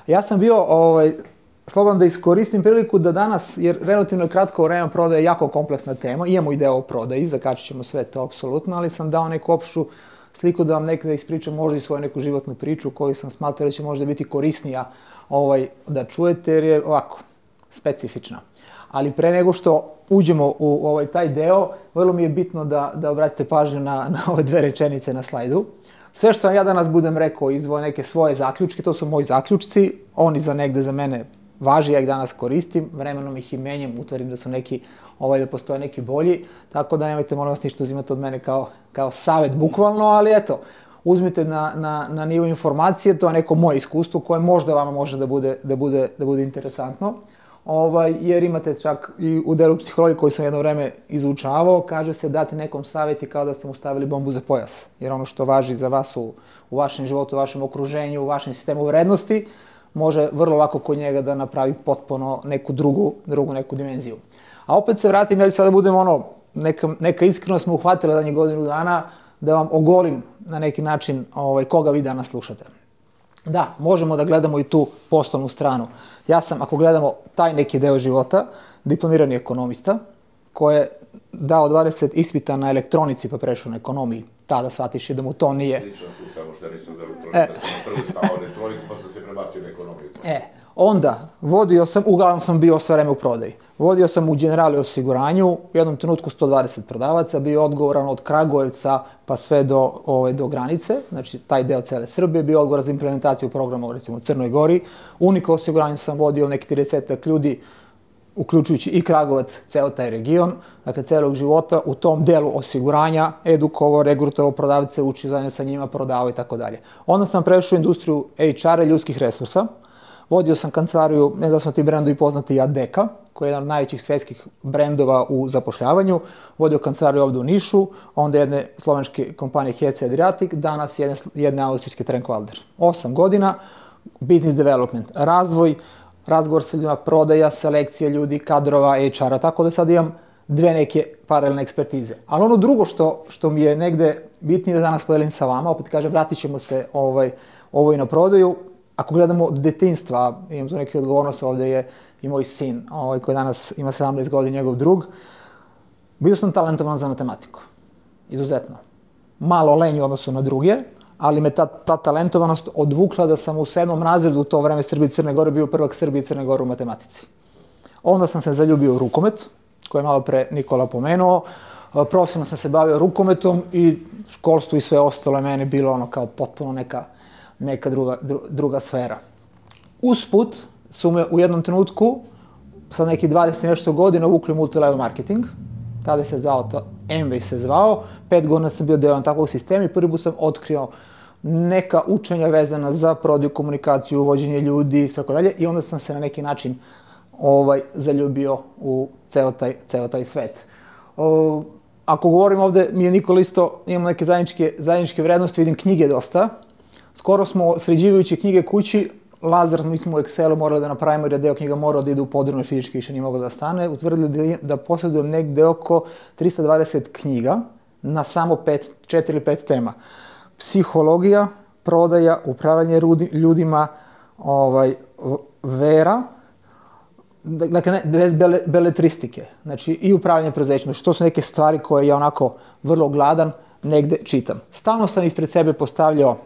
Ja sam bio, slobodan da iskoristim priliku da danas, jer relativno kratko vreme prodaje je jako kompleksna tema, imamo ideju o prodaji, zakačit ćemo sve to apsolutno, ali sam dao neku opštu sliku da vam nekada ispričam možda i svoju neku životnu priču koju sam smatrao da će možda biti korisnija da čujete, jer je ovako, specifična. Ali pre nego što uđemo u taj deo, vrlo mi je bitno da obratite pažnju na ove dve rečenice na slajdu. Sve što ja danas budem rekao izvoje neke svoje zaključke, to su moji zaključci, oni za negde za mene važi, ja ih danas koristim, vremenom ih i menjam, utvrdim da su neki, da postoje neki bolji, tako da nemojte molim vas ništa uzimati od mene kao savet bukvalno, ali eto, uzmite na nivo informacije, to je neko moje iskustvo koje možda vama može da bude interesantno. Jer imate čak i u delu psihologije koji sam jedno vreme izučavao, kaže se dati nekom savjeti kao da ste mu stavili bombu za pojas. Jer ono što važi za vas u vašem životu, u vašem okruženju, u vašem sistemu vrednosti, može vrlo lako kod njega da napravi potpuno neku drugu neku dimenziju. A opet se vratim, ja ću sada budem neka iskrenost me uhvatila da je godinu dana, da vam ogolim na neki način koga vi danas slušate. Da, možemo da gledamo i tu poslovnu stranu. Ja sam, ako gledamo taj neki deo života, diplomirani ekonomista, koji je dao 20 ispita na elektronici pa prešao na ekonomiji. Tada shvatiš da mu to nije... Slično tu, samo što ja nisam za elektroniku, da sam na prvi stavao elektroniku pa sam se prebacio na ekonomiju. Onda, uglavnom sam bio sve vreme u prodaji. Vodio sam u Generali osiguranju, u jednom trenutku 120 prodavaca, bio odgovoran od Kragujevca pa sve do granice, znači taj deo cele Srbije, bio odgovoran za implementaciju programa recimo u Crnoj Gori. Unika osiguranju sam vodio neki 30 ljudi, uključujući i Kragujevac, ceo taj region, dakle celog života u tom delu osiguranja, edukovao, regrutovao prodavce, učio zajedno sa njima, prodavao i tako dalje. Onda sam prešao u industriju HR-a i ljudskih resursa. Vodio sam kancelariju, ne znam da su ti brendovi poznati, Adeka, koji je jedan od najvećih svetskih brendova u zapošljavanju. Vodio kancelariju ovde u Nišu, onda jedne slovenske kompanije HC Adriatic, danas jedne austrijske Trenkwalder. 8 godina, business development, razgovor sa ljudima, prodaja, selekcija ljudi, kadrova, HR-a, tako da sad imam dve neke paralelne ekspertize. Ali ono drugo što mi je negde bitnije da danas podelim sa vama, opet kažem, vratit ćemo se i na prodaju. Ako gledamo od detinjstva, imam tu neke odgovornost, ovde je i moj sin, koji danas ima 17 godina, njegov drug, bio sam talentovan za matematiku, izuzetno. Malo lenj u odnosu na druge, ali me ta talentovanost odvukla da sam u 7. razredu u to vreme Srbije i Crne Gore bio prvak Srbije i Crne Gore u matematici. Onda sam se zaljubio u rukomet, koji je malo pre Nikola pomenuo, profesionalno sam se bavio rukometom i školstvo i sve ostalo je meni bilo kao potpuno neka druga sfera. Usput su me u jednom trenutku, sa nekih 20 nešto godina, uvukli multilevel marketing. Tada se zvao to, Amway se zvao. 5 godina sam bio deo takvog sistema i prvi put sam otkrio neka učenja vezana za prodaju, komunikaciju, uvođenje ljudi i tako dalje. I onda sam se na neki način zaljubio u ceo taj svet. Ako govorim ovde, mi je Nikola isto, imamo neke zajedničke vrednosti, vidim knjige dosta. Skoro smo, sređivajući knjige kući, Lazar, mi smo u Excelu morali da napravimo jer je deo knjiga morao da ide u podrobno fizički, više nije mogao da stane, utvrdili da posjedujem negde oko 320 knjiga na samo 4 ili 5 tema. Psihologija, prodaja, upravljanje ljudima, vera, dakle bez beletristike, znači i upravljanje preduzećima, što su neke stvari koje ja onako vrlo gladan negde čitam. Stalno sam ispred sebe postavljao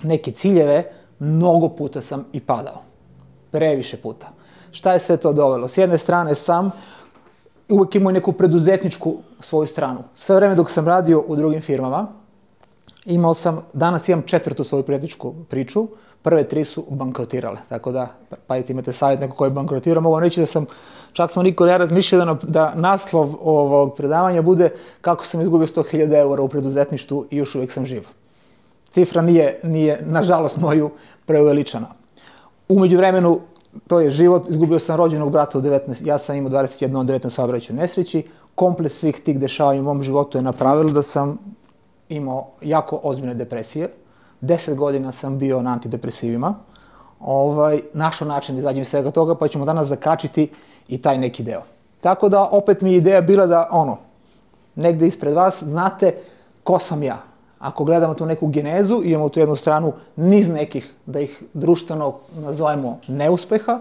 neke ciljeve, mnogo puta sam i padao. Previše puta. Šta je sve to dovelo? S jedne strane sam uvek imao neku preduzetničku svoju stranu. Sve vreme dok sam radio u drugim firmama, danas imam 4. svoju preduzetničku priču, prve 3 su bankrotirale. Tako da, imate savjet neko koji je bankrotirao, mogu vam reći da čak smo Nikola i ja razmišljali da naslov ovog predavanja bude kako sam izgubio 100.000 eura u preduzetništvu i još uvijek sam živ. Cifra nije, nažalost, moju preuveličana. Umeđu vremenu, to je život, izgubio sam rođenog brata u 19, ja sam imao 21 od 19 saobraćajnoj nesreći. Kompleks svih tih dešavanja u mom životu je napravilo da sam imao jako ozbiljne depresije. 10 godina sam bio na antidepresivima. Našao način da izađem iz svega toga, pa ćemo danas zakačiti i taj neki deo. Tako da, opet mi je ideja bila da, negde ispred vas, znate ko sam ja. Ako gledamo tu neku genezu, imamo tu jednu stranu niz nekih, da ih društveno nazovemo neuspeha,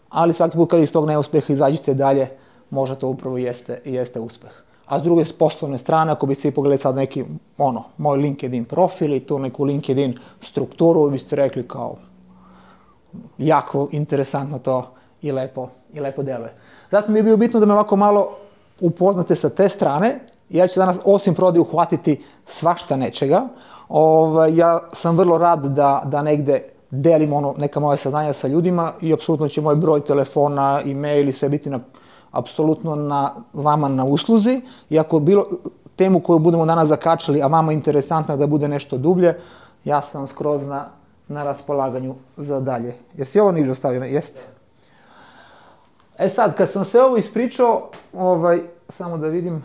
ali svaki put kad iz tog neuspeha izađete dalje, možda to upravo jeste uspeh. A s druge poslovne strane, ako biste pogledali sad neki, moj LinkedIn profil i tu neku LinkedIn strukturu, biste rekli kao jako interesantno to i lepo deluje. Zato mi je bilo bitno da me ovako malo upoznate sa te strane. Ja ću danas osim prodaje uhvatiti svašta nečega. Ja sam vrlo rad da negde delim neka moja saznanja sa ljudima i apsolutno će moj broj telefona, e-mail i sve biti apsolutno vama na usluzi. I ako bilo temu koju budemo danas zakačili, a vama interesantna da bude nešto dublje, ja sam skroz na raspolaganju za dalje. Jesi ovo niže ostavio? Jeste. E sad, kad sam sve ovo ispričao, samo da vidim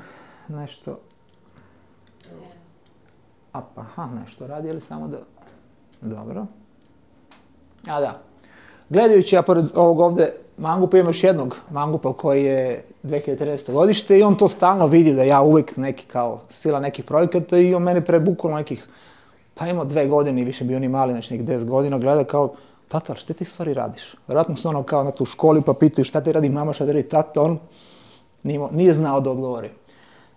nešto. Nešto radi, ali samo da... Dobro. A da. Gledajući ja pored ovog ovde mangupa, imam još jednog mangupa koji je 2013. godište i on to stalno vidi da ja uvijek neki kao sila nekih projekata i on mene prebukalo nekih, pa imao 2 godine i više bio ni mali, znači nekih 10 godina, gleda kao, tata, šta ti stvari radiš? Vjerojatno se kao na tu školi pa pitaju šta ti radi mama, šta ti radi tata, on nije znao da odgovori.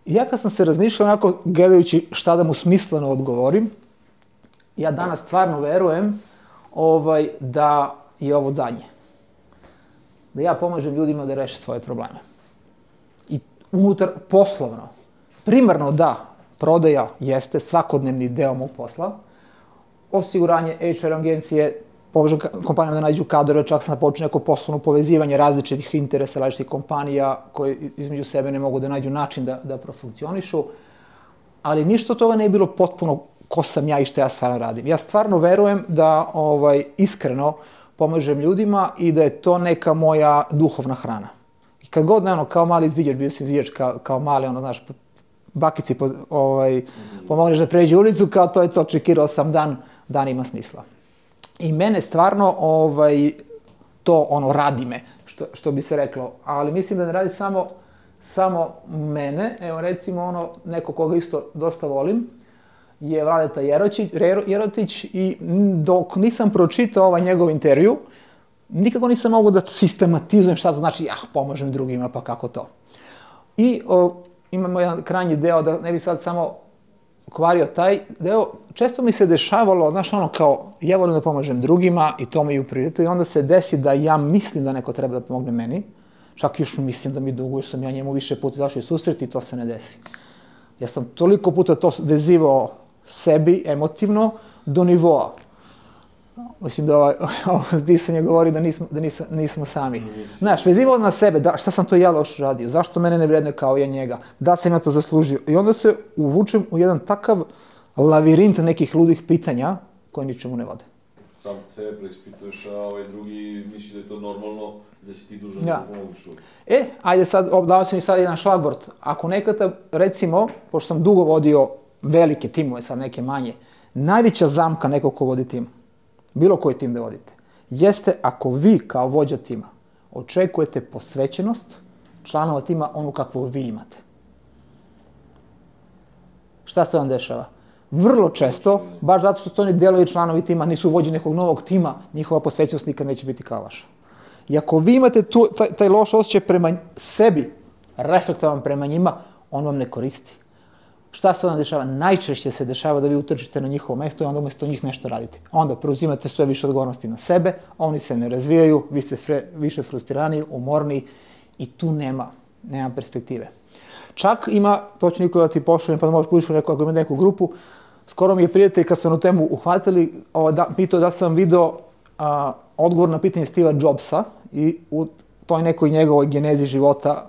I ja kad sam se razmišljao onako gledajući šta da mu smisleno odgovorim, ja danas stvarno verujem da je ovo danje. Da ja pomažem ljudima da reše svoje probleme. I unutar poslovno. Primarno da, prodaja jeste svakodnevni deo mog posla. Osiguranje HR agencije, pomažem kompanijama da nađu kadrove, čak sam počeo neko poslovno povezivanje različitih interesa, različitih kompanija koje između sebe ne mogu da nađu način da profunkcionišu. Ali ništa od toga ne je bilo potpuno ko sam ja i šta ja stvarno radim. Ja stvarno verujem da iskreno pomažem ljudima i da je to neka moja duhovna hrana. I kad god, kao mali izviđač, bio sam izviđač kao mali, bakici pomogneš da pređe ulicu, kao to je to, čekirao sam dan ima smisla. I mene stvarno to radi me, što bi se reklo, ali mislim da ne radi samo mene, evo recimo neko koga isto dosta volim, je Vladeta Jerotić i dok nisam pročitao njegov intervju, nikako nisam mogao da sistematizujem šta to znači, pomažem drugima, pa kako to. I imamo jedan krajnji deo, da ne bi sad samo kvario taj deo, često mi se dešavalo, kao, ja volim da pomažem drugima i to mi je u prioritu i onda se desi da ja mislim da neko treba da pomogne meni, čak još mislim da mi dugo, jer sam ja njemu više puta došao i susret i to se ne desi. Ja sam toliko puta to vezivao sebi emotivno do nivoa. Mislim da ovo zdisanje govori da nismo sami. Znaš, vezivao na sebe, šta sam to ja loš radio, zašto mene ne vredne kao ja njega, da sam ja to zaslužio. I onda se uvučem u jedan takav lavirint nekih ludih pitanja koje ničemu ne vode. Sam sebe preispituješ, a ovaj drugi misli da je to normalno, da si ti dužan da pomoguš. Ajde sad, dao sam mi sad jedan šlagvort. Ako nekada, recimo, pošto sam dugo vodio velike timove, sad neke manje, najveća zamka nekog ko vodi tim, bilo koji tim da vodite, jeste ako vi kao vođa tima očekujete posvećenost članova tima onu kakvu vi imate. Šta se vam dešava? Vrlo često, baš zato što su oni delovi članovi tima, nisu vođi nekog novog tima, njihova posvećenost nikad neće biti kao vaša. I ako vi imate taj loš osjećaj prema sebi, reflektovan prema njima, on vam ne koristi. Šta se onda dešava? Najčešće se dešava da vi utrčite na njihovo mesto i onda umjesto njih nešto radite. Onda preuzimate sve više odgovornosti na sebe, oni se ne razvijaju, vi ste više frustrirani, umorni i tu nema perspektive. Čak ima, to ću Nikola da ti pošaljem, pa da možeš pudiš ako ima neku grupu, skoro mi je prijatelj kad smo na temu uhvatili, pitao da sam video odgovor na pitanje Steve'a Jobsa i u toj nekoj njegovoj genezi života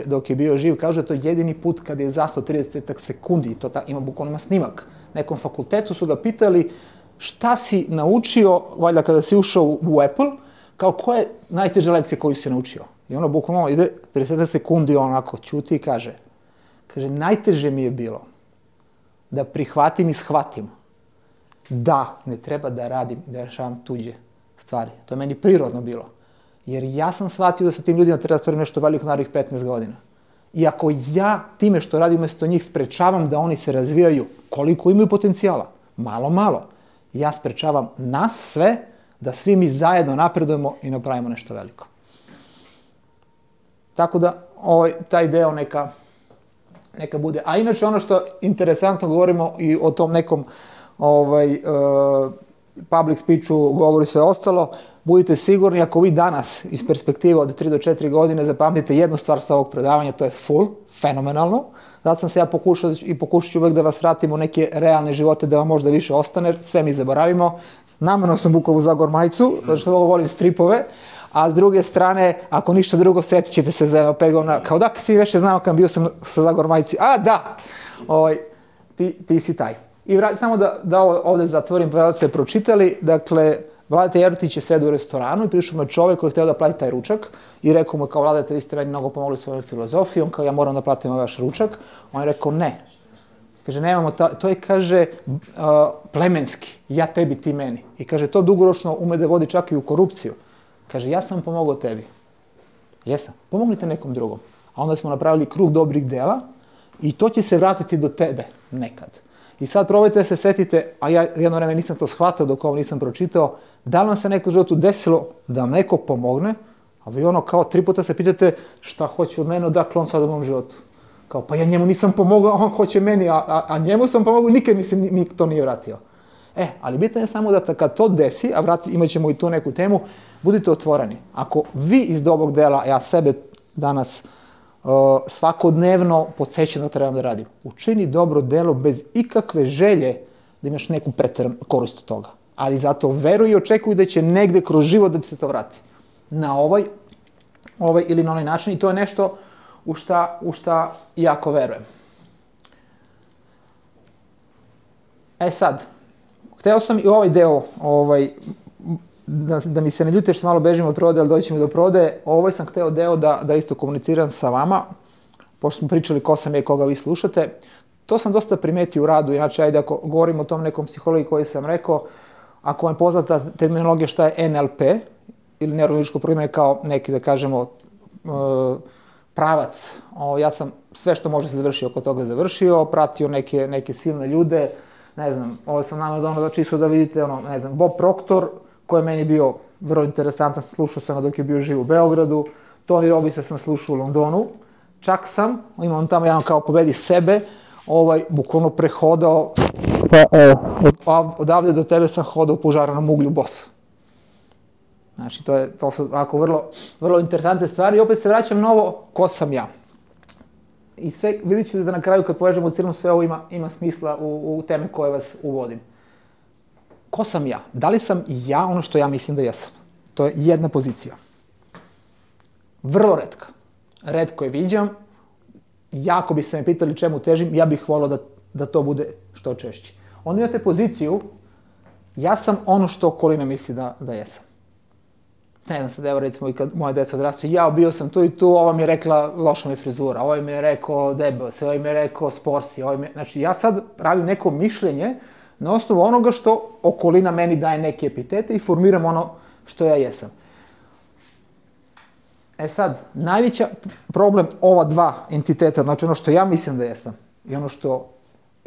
dok je bio živ, kaže to je jedini put kad je zastao 30 sekundi, to ima bukvalno snimak. Na nekom fakultetu su ga pitali šta si naučio, valjda kada si ušao u Apple, kao koja je najteža lekcija koju si naučio. I ono bukvalno ide 30 sekundi, onako ćuti i kaže, najteže mi je bilo da prihvatim i shvatim da ne treba da radim i da rešavam tuđe stvari. To je meni prirodno bilo. Jer ja sam shvatio da sa tim ljudima treba da stvorim nešto veliko narednih 15 godina. I ako ja time što radim umjesto njih sprečavam da oni se razvijaju, koliko imaju potencijala. Malo. Ja sprečavam nas sve da svi mi zajedno napredujemo i napravimo nešto veliko. Tako da taj deo neka bude. A inače ono što interesantno govorimo i o tom nekom public speechu, govori sve ostalo, budite sigurni ako vi danas iz perspektive od 3 do 4 godine zapamtite jednu stvar sa ovog predavanja, to je fenomenalno. Zato sam se ja pokušat ću uvek da vas vratim u neke realne živote da vam možda više ostane, sve mi zaboravimo. Namerno sam Bukovu Zagor majicu, zato što volim stripove, a s druge strane, ako ništa drugo, sjetit ćete se za 5 godina, kao da si veće znao kad bio sam sa Zagor majici, a da, ti si taj. I samo da ovdje zatvorim, pa da ste pročitali, dakle, Vladeta Jerotić je sredio u restoranu i prišao me čovjek koji je htio da plati taj ručak i rekao mu kao Vladeta, vi ste meni mnogo pomogli svojom filozofijom, kao ja moram da platim vaš ručak. On je rekao ne. Kaže, nemamo, to je, kaže, plemenski, ja tebi, ti meni. I kaže, to dugoročno ume da vodi čak i u korupciju. Kaže, ja sam pomogao tebi. Jesam, pomognite nekom drugom. A onda smo napravili krug dobrih dela i to će se vratiti do tebe nekad. I sad probajte da se setite, a ja jedno vreme nisam to shvatao dok ovo nisam pročitao, da li vam se neko u životu desilo da vam neko pomogne, a vi kao 3 puta se pitate šta hoće od mene, odakle on sad u mom životu. Kao, pa ja njemu nisam pomogao, on hoće meni, a njemu sam pomogao, nikad mi to nije vratio. Ali bitno je samo da kad to desi, a imat ćemo i tu neku temu, budite otvoreni. Ako vi iz dobrog dela, ja sebe danas svakodnevno podsjećam da trebam da radim, učini dobro delo bez ikakve želje da imaš neku preteranu korist od toga. Ali zato veruj i očekuj da će negde kroz život da ti se to vrati. Na ovaj ili na onaj način i to je nešto u šta jako verujem. Sad, hteo sam i ovaj deo, da mi se ne ljute što malo bežimo od prodaje, ali doći ćemo do prodaje, sam hteo deo da isto komuniciram sa vama, pošto smo pričali ko sam je, koga vi slušate. To sam dosta primetio u radu, inače ajde ako govorim o tom nekom psihologiji koji sam rekao, ako vam je poznata terminologija šta je NLP, ili neurolingvističko programiranje kao neki, da kažemo, pravac. Ja sam sve što može se završio oko toga završio, pratio neke silne ljude, ne znam, ovo sam nama da čisto da vidite, Bob Proctor, koji je meni bio vrlo interesantan, slušao sam ga dok je bio živ u Beogradu, Tony Robbinsa sam slušao u Londonu, čak sam, imam tamo jedan kao pobedi sebe, bukvalno prehodao, odavde do tebe sam hodao u požaranom uglju bos. Znači, to su ovako vrlo interesantne stvari i opet se vraćam na ovo, ko sam ja. I sve, vidjet ćete da na kraju kad povežemo u cijelom sve ovo ima smisla u teme koje vas uvodim. Ko sam ja? Da li sam ja ono što ja mislim da jesam? To je jedna pozicija. Vrlo retka. Retko je viđam. Jako biste me pitali čemu težim, ja bih volao da to bude što češće. Onda imate poziciju, ja sam ono što okolina misli da jesam. Ne znam sad, evo recimo i kad moja deca odrastu, bio sam tu i tu, ova mi je rekla loša mi je frizura, ovaj mi je rekao debel se, ovaj mi je rekao sporsi, znači ja sad pravim neko mišljenje na osnovu onoga što okolina meni daje neke epitete i formiram ono što ja jesam. Sad, najveći problem ova dva entiteta, znači ono što ja mislim da jesam i ono što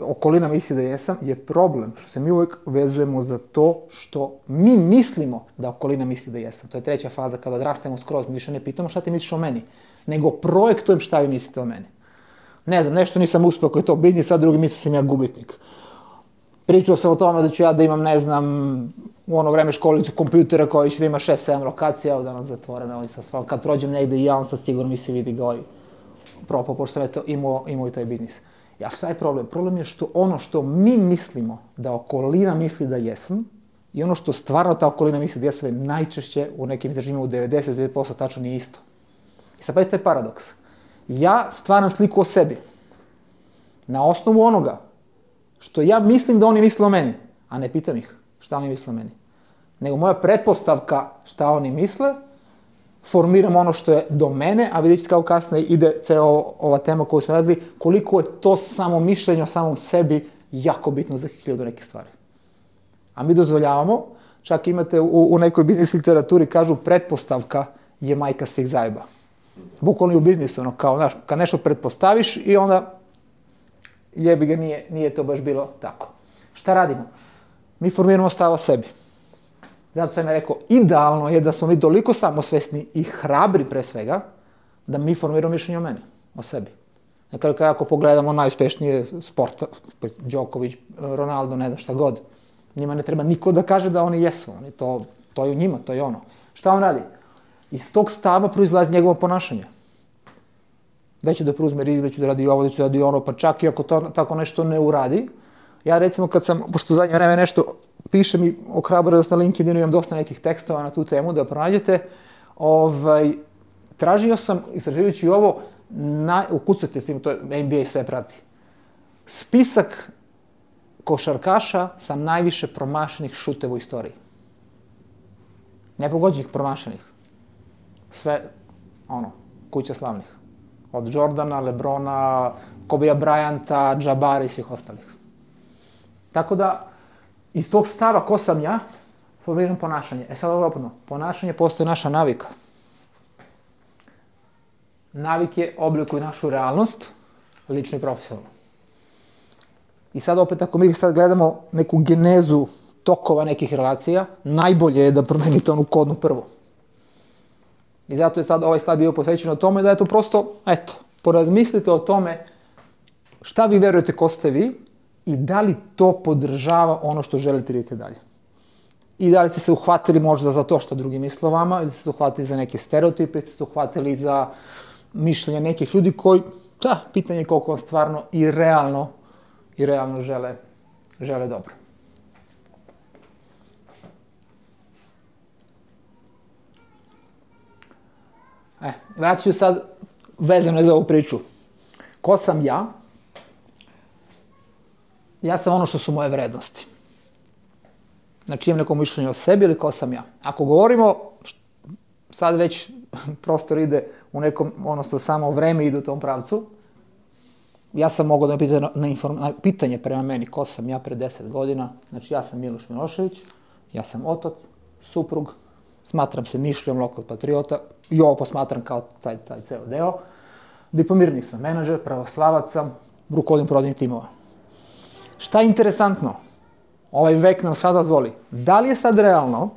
okolina misli da jesam, je problem što se mi uvijek vezujemo za to što mi mislimo da okolina misli da jesam. To je treća faza kada odrastemo skroz, mi više ne pitamo šta ti misliš o meni, nego projektujem šta vi mislite o meni. Ne znam, nešto nisam uspio koji je to biznis, sad drugi misli sam ja gubitnik. Pričao sam o tome da ću ja da imam, ne znam, u ono vreme školicu kompjutera koji će da ima 6-7 lokacija, evo danas zatvorena, kad prođem negde i ja, on sad sigurno mi se vidi ga propao, pošto sam eto imao i taj biznis. Šta je problem? Problem je što ono što mi mislimo da okolina misli da jesam i ono što stvarno ta okolina misli da jesam je najčešće u nekim istraživanjima u 99% tačno nije isto. I sad pazite taj paradoks. Ja stvaram sliku o sebi na osnovu onoga što ja mislim da oni misle o meni, a ne pitam ih šta oni misle o meni. Nego moja pretpostavka šta oni misle, formiram ono što je do mene, a vidjet ćete kako kasnije ide ceo ova tema koju smo radili, koliko je to samo mišljenje o samom sebi jako bitno za 1000 neke stvari. A mi dozvoljavamo, čak imate u nekoj biznis literaturi, kažu pretpostavka je majka svih zajeba. Bukvalno i u biznisu, kao, znaš, kad nešto pretpostaviš i onda jebi ga, nije to baš bilo tako. Šta radimo? Mi formiramo stav o sebi. Zato sam ja rekao, idealno je da smo mi toliko samosvesni i hrabri pre svega, da mi formiramo mišljenje o meni, o sebi. Dakle, ako pogledamo najuspješnije sporta, Đoković, Ronaldo, ne znam šta god, njima ne treba niko da kaže da oni jesu, to je u njima, to je ono. Šta on radi? Iz tog stava proizlazi njegovo ponašanje. Da će da preuzme rizik, da će da radi ovo, da će da radi ono, pa čak i ako to tako nešto ne uradi. Ja recimo kad sam, pošto u zadnje vreme nešto pišem i ohrabrost na LinkedInu, imam dosta nekih tekstova na tu temu da pronađete, tražio sam, istraživajući ovo, ukucate s tim, to NBA sve prati, spisak košarkaša sa najviše promašenih šuteva u istoriji. Nepogođenih, promašenih. Sve, kuća slavnih. Od Jordana, Lebrona, Kobeja Bryanta, Jabara i svih ostalih. Tako da, iz tog stava ko sam ja, formiram ponašanje. Sad ovo je opetno. Ponašanje postoji naša navika. Navike oblikuju našu realnost, lično i profesionalno. I sad opet, ako mi sad gledamo neku genezu tokova nekih relacija, najbolje je da promenite onu kodnu prvu. I zato je sad ovaj slajd bio posvećen o tome da je to prosto, porazmislite o tome šta vi verujete ko ste vi i da li to podržava ono što želite vidjeti dalje. I da li ste se uhvatili možda za to što drugi misle o vama, ili ste se uhvatili za neke stereotipe, ili ste se uhvatili za mišljenja nekih ljudi koji, pitanje je koliko vam stvarno i realno žele dobro. Vratit ću sad vezano za ovu priču. Ko sam ja? Ja sam ono što su moje vrednosti. Znači imam neko mišljenje o sebi ili ko sam ja. Ako govorimo, sad već prostor ide u nekom, odnosno samo vreme ide u tom pravcu, ja sam mogao da na pitanje prema meni ko sam ja pre 10 godina, znači ja sam Miloš Milošević, ja sam otac, suprug, smatram se Nišlijom, lokal patriota, i ovo posmatram kao taj ceo deo. Diplomirani sam menadžer, pravoslavac sam, rukovodim prodajnih timova. Šta je interesantno? Ovaj vek nam sad dozvoli. Da li je sad realno,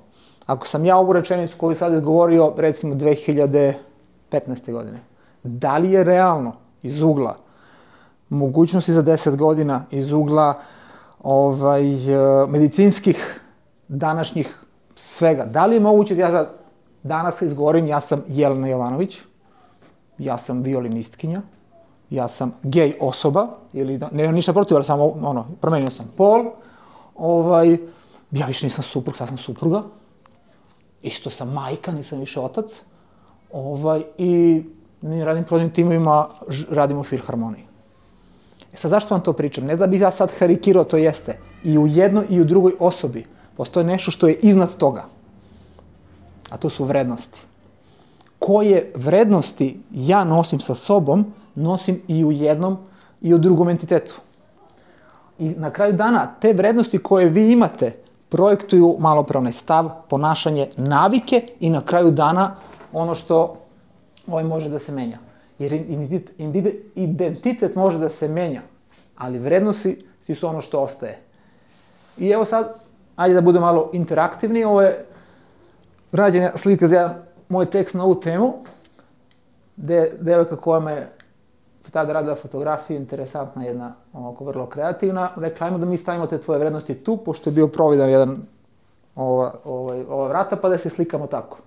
ako sam ja ovu rečenicu koju sad izgovorio, recimo 2015. godine, da li je realno iz ugla mogućnosti za 10 godina, iz ugla medicinskih današnjih svega, da li je moguće da ja danas izgovorim ja sam Jelena Jovanović, ja sam violinistkinja, ja sam gej osoba, ili nemam ništa protiv, ali samo promenio sam pol, ja više nisam suprug, sad sam supruga, isto sam majka, nisam više otac, i radim prodajnim timovima, radim u filharmoniji. Sad zašto vam to pričam? Ne da bih ja sad karikirao, to jeste. I u jednoj i u drugoj osobi postoje nešto što je iznad toga. A to su vrednosti. Koje vrednosti ja nosim sa sobom, nosim i u jednom i u drugom entitetu. I na kraju dana, te vrednosti koje vi imate projektuju malopre onaj stav, ponašanje, navike i na kraju dana ono što može da se menja. Jer identitet može da se menja, ali vrednosti su ono što ostaje. I evo sad, ajde da bude malo interaktivni, ovo je rađena slika za moj tekst na ovu temu, gde devojka koja me tada radila fotografiju, interesantna jedna, vrlo kreativna, rekla, ajmo da mi stavimo te tvoje vrednosti tu, pošto je bio providan jedan ova vrata, pa da se slikamo tako.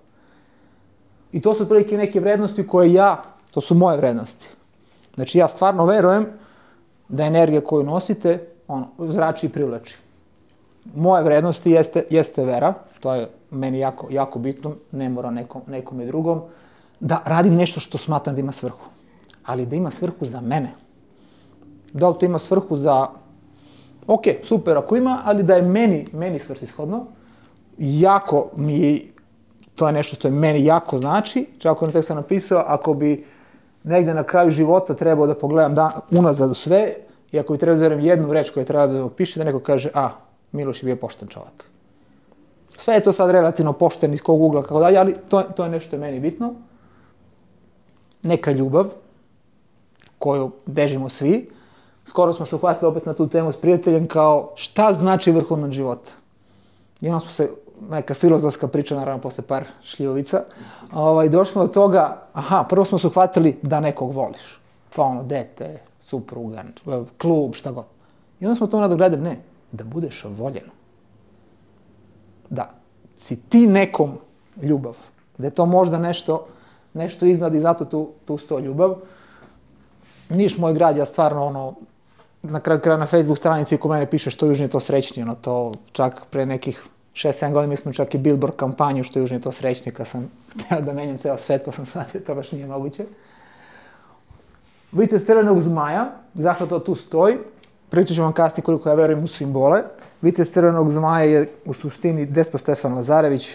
I to su otprilike neke vrednosti koje to su moje vrednosti. Znači ja stvarno verujem da energija koju nosite, zrači i privlači. Moje vrednosti jeste vera, to je meni jako bitno, ne mora nekom i drugom, da radim nešto što smatram da ima svrhu. Ali da ima svrhu za mene. Da li to ima svrhu za, ok, super ako ima, ali da je meni svrsishodno, jako mi, to je nešto što je meni jako znači, čak ono tekst sam napisao, ako bi negde na kraju života trebao da pogledam unazad u sve, i ako bi trebao da verujem jednu reč koju treba da opiše, da neko kaže, Miloš je bio pošten čovjek. Sve je to sad relativno pošten iz kog ugla, kako dalje, ali to je nešto što je meni bitno. Neka ljubav, koju bežimo svi, skoro smo se uhvatili opet na tu temu s prijateljem kao šta znači vrhunac života. I onda smo se, neka filozofska priča, naravno posle par šljivovica, došli smo do toga, prvo smo se uhvatili da nekog voliš. Pa ono, dete, supruga, klub, šta god. I onda smo to nadogradili, ne, da budeš voljen. Da si ti nekom ljubav. Da je to možda nešto iznad i zato tu sto ljubav. Niš moj grad, ja stvarno na kraju kraja na Facebook stranici ko mene piše što južnije to srećnije, to čak pre nekih 6-7 godina mi smo čak i billboard kampanju što južnije to srećnije kad sam htio da menjam ceo svet pa sam shvatio to baš nije moguće. Vitez crvenog zmaja, zašto to tu stoji? Pričat ću vam kasnije koliko ja verujem u simbole. Vitez crvenog zmaja je u suštini Despot Stefan Lazarević,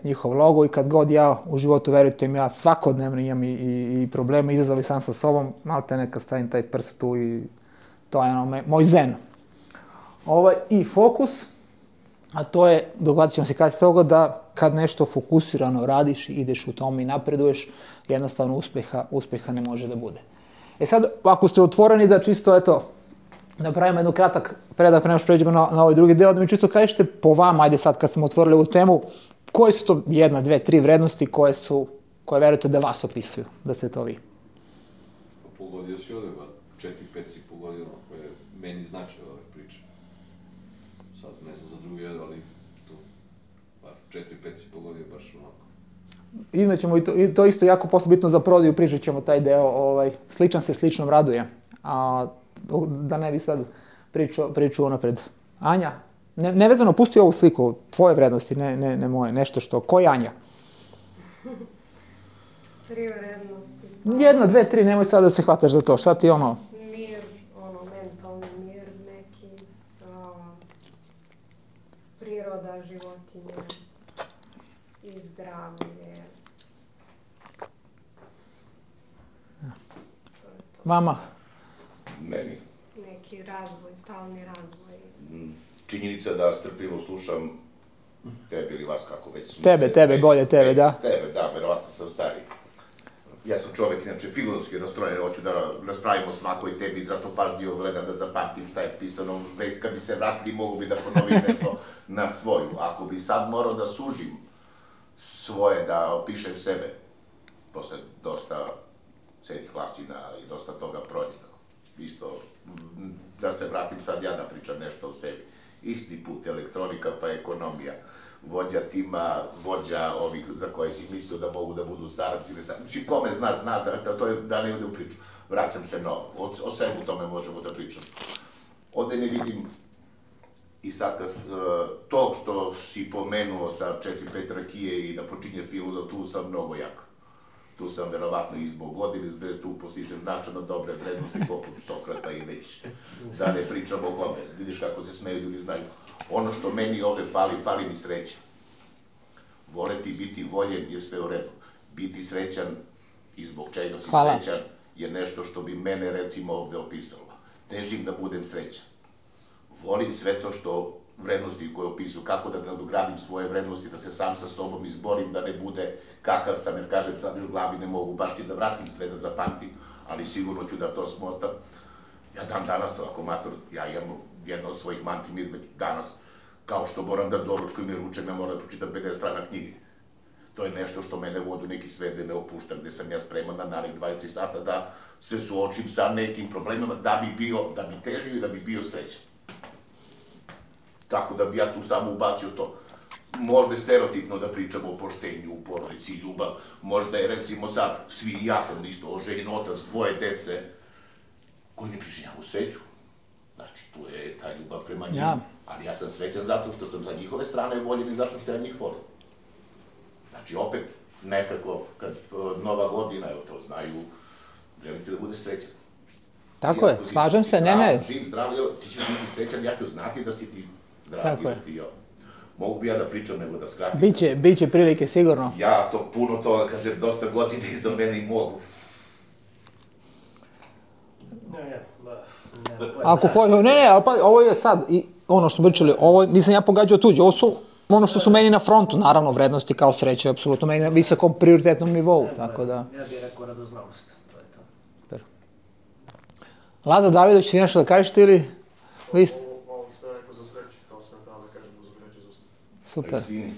njihov logo i kad god ja u životu, verujte mi, ja svakodnevno imam i probleme, izazovi sam sa sobom, malte nekad stavim taj prst tu i to je moj zen. I fokus, a to je, dogodit ćemo se kasnije toga, da kad nešto fokusirano radiš i ideš u tome i napreduješ, jednostavno uspjeha ne može da bude. Sad, ako ste otvoreni da čisto, napravimo jednu kratak predak, pre nego što pređemo na ovaj drugi deo, da mi čisto kažete po vama, ajde sad kad smo otvorili ovu temu, koje su to 1, 2, 3 vrednosti koje verujete da vas opisuju, da ste to vi? Pogodio si ovdje, 4-5 si pogodio koje meni znače ove priče. Sad ne znam za druge, ali tu, 4-5 si pogodio baš onako. Imaćemo i to isto jako posle bitno za prodaju, pričat ćemo taj deo, sličan se sličnom raduje. Da ne bi sad priču napred. Anja, nevezano, pusti ovu sliku, tvoje vrednosti, ne moje, nešto što, ko je Anja? 3 vrednosti. 1, 2, 3, nemoj sad da se hvataš za to, šta ti Mir, mentalni mir neki, priroda, životinje i zdravlje. Vama? Meni. Neki razvoj, stalni razvoj. Činjenica da strpljivo slušam tebe ili vas kako već. Tebe, bolje tebe, da. Tebe, da, verovatno sam stariji. Ja sam čovjek, inače, filozofski nastrojen, hoću da raspravimo svakoj tebi, zato pažljivo gledam da zapamtim šta je pisano, već kad bi se vratili mogu bi da ponovim nešto na svoju. Ako bi sad morao da sužim svoje, da opišem sebe, posle dosta srednjih klasina i dosta toga prođenog, isto, da se vratim sad ja da pričam nešto o sebi. Isti put, elektronika pa ekonomija, vođa tima, vođa ovih za koje si mislio da mogu da budu saradnici ili saradnici. Kome zna, da ne ide u priču. Vraćam se novo, o svemu tome možemo da pričamo. Ovde ne vidim, i sad to što si pomenuo sa 4-5 rakije i da počinje filozof, tu sam mnogo jak. Tu sam verovatno i zbog godine, tu postižem značajno dobre vrednosti poput Sokrata i već. Da ne pričam o kome, vidiš kako se smeju ljudi znaju. Ono što meni ovde fali mi sreća. Voleti biti voljen je sve u redu. Biti srećan i zbog čega si srećan je nešto što bi mene recimo ovde opisalo. Težim da budem srećan. Volim sve to što vrednosti koje opisuju, kako da nadogradim svoje vrednosti, da se sam sa sobom izborim, da ne bude kakav sam, jer kažem sad u glavi ne mogu baš ti da vratim sve da zapamtim, ali sigurno ću da to smotam. Ja dan danas, ovako mator, ja imam jedno od svojih mantri, mi danas, kao što moram da doručkujem i ručem, ja moram da pročitam 50 strana knjige. To je nešto što mene vodi u neki svet gde me opušta, gde sam ja spreman na narednih 23 sata da se suočim sa nekim problemima, da bi težio i da bi bio srećan. Tako da bi ja tu samo ubacio to. Možda je stereotipno da pričamo o poštenju, u porodici, ljubav. Možda je, recimo sad, svi, ja sam isto oženjen otac, 2 dece, koji ne pričinjavu sreću. Znači, tu je ta ljubav prema njima. Ali ja sam srećan zato što sam za njihove strane voljen i zato što ja njih volim. Znači, opet, nekako, kad Nova godina, evo to znaju, želite da bude srećan. Tako je, slažem se, ne. Živ, zdrav, ti ćeš biti srećan, ja ću znati da si ti zdrav i da si ti mogu bi ja da pričam nego da skratim. Biće prilike, sigurno. Ja to puno toga, kažem, dosta godine iza mene i mogu. Ako hoće, ali ovo je sad, ono što smo pričali, ovo nisam ja pogađao tuđe, ovo su ono što su meni na frontu, naravno, vrednosti kao sreće, apsolutno meni na visokom prioritetnom nivou, tako da. Ja bih rekao radoznalost, to je to. Lazo Davidović, ti nešto da kažeš ti ili? Vi ste... Ovo što je rekao za sreću, to sam da kažem uz reći za Super. Izvini.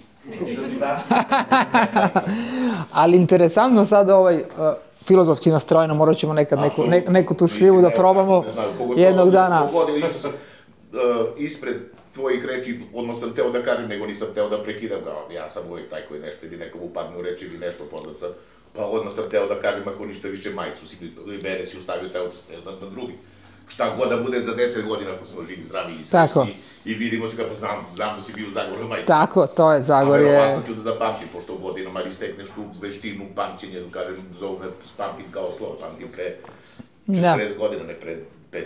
Ali interesantno sad filozofski nastrojeno, morat ćemo nekad neku tu šljivu da probamo jednog dana. Pogodio, isto sam ispred tvojih reči, odmah sam teo da kažem, nego nisam teo da prekidam ga. Ja sam uvijek taj koji nešto ili nekom upadne u reči ili nešto pozna sam. Pa odmah sam teo da kažem, ako ništa više majicu si ili mene si ustavio, teo ne znam na drugi. Šta god da bude za 10 godina ako smo živi, zdravi i srećni i vidimo se kako znam da si bio u Zagorju majicu. Tako, to je Zagorje. A verovatno ću da zapamtim, pošto u godinama ili stekneš tu veštinu pamćenja, da kažem, zovu me, pamtim kao slovo, pamtim pre 40 godina, ne pre 5.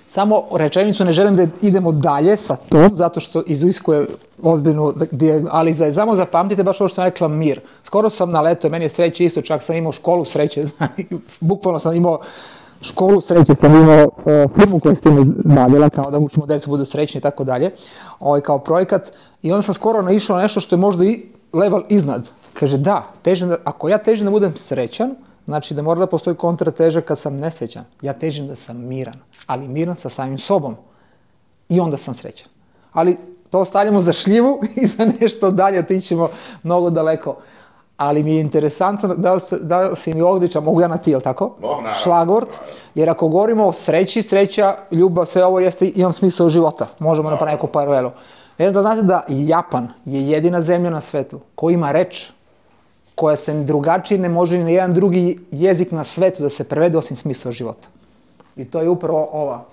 Samo rečenicu, ne želim da idemo dalje sa tom, zato što iziskuje ozbiljnu, ali samo zapamtite baš ovo što sam rekla, mir. Skoro sam naletao, meni je sreće isto, čak sam imao školu sreće, bukvalno sam imao školu sreće, sam imao firmu koja s time bavila, kao da učimo djecu budu srećni i tako dalje, kao projekat. I onda sam skoro naišao na nešto što je možda i level iznad. Kaže da, ako ja težim da budem srećan, znači da mora da postoji kontrateža kad sam nesrećan. Ja težim da sam miran, ali miran sa samim sobom. I onda sam srećan. Ali to ostavljamo za šljivu i za nešto dalje, otićemo mnogo daleko. Ali mi je interesantno da si mi Ogdića, mogu ja na ti, jel tako? Šlagvort, jer ako govorimo o sreći, sreća, ljubav, sve ovo imam smisao života. Možemo napraviti neku paralelu. Da znate da Japan je jedina zemlja na svetu koja ima reč koja se drugačije ne može ni na jedan drugi jezik na svetu da se prevede osim smisao života. I to je upravo ova.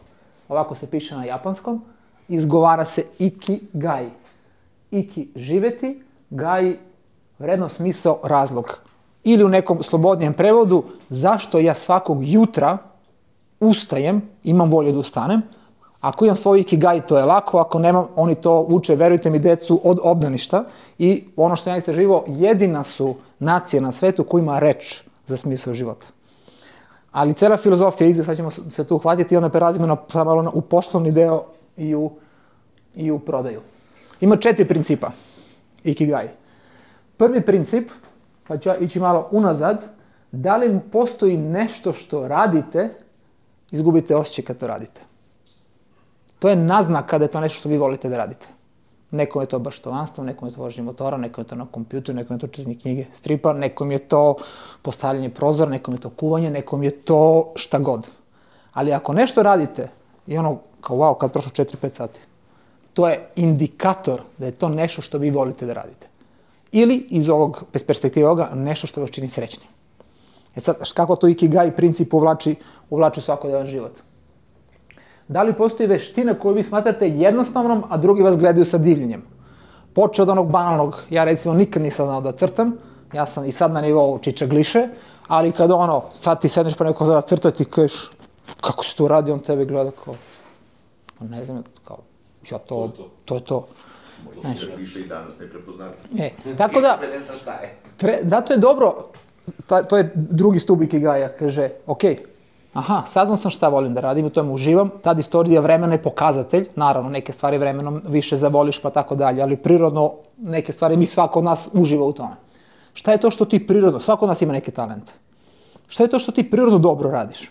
Ovako se piše na japanskom. Izgovara se ikigai. Iki živjeti, gai vredno, smisao, razlog. Ili u nekom slobodnijem prevodu, zašto ja svakog jutra ustajem, imam volju da ustanem. Ako imam svoj ikigai, to je lako, ako nemam, oni to uče, verujte mi, decu od obdaništa. I ono što ja istraživao, jedina su nacija na svetu koja ima reč za smisao života. Ali cijela filozofija, sad ćemo se tu uhvatiti i onda prelazimo u poslovni deo i u prodaju. Ima 4 principa ikigai. Prvi princip, pa ću ja ići malo unazad, da li postoji nešto što radite, izgubite osjećaj kad to radite. To je naznaka da je to nešto što vi volite da radite. Nekom je to baštovanstvo, nekom je to vožnje motora, nekom je to na kompjuteru, nekom je to čitanje knjige, stripa, nekom je to postavljanje prozora, nekom je to kuvanje, nekom je to šta god. Ali ako nešto radite i ono kao wow, kad prošlo 4-5 sati, to je indikator da je to nešto što vi volite da radite. Ili iz ovog, bez perspektive ovoga, nešto što vas čini srećni. Sad, kako to ikigai princip uvlači svakodnevan život? Da li postoji veština koju vi smatrate jednostavnom, a drugi vas gledaju sa divljenjem? Počeo od onog banalnog, ja recimo nikad nisam znao da crtam, ja sam i sad na nivou čičagliše, ali kad sad ti sedneš pa neko zada crta ti kažeš, kako se to radi, on tebe gleda kao, ne znam, kao, ja to je to. To se piše i danas neprepoznatljivo. Tako da to je dobro, to je drugi stup ikigaja, kaže, saznao sam šta volim da radim, u tome uživam, tad istorija vremena je pokazatelj, naravno neke stvari vremenom više zavoliš pa tako dalje, ali prirodno neke stvari svako od nas uživa u tome. Šta je to što ti prirodno, svako od nas ima neke talente, šta je to što ti prirodno dobro radiš?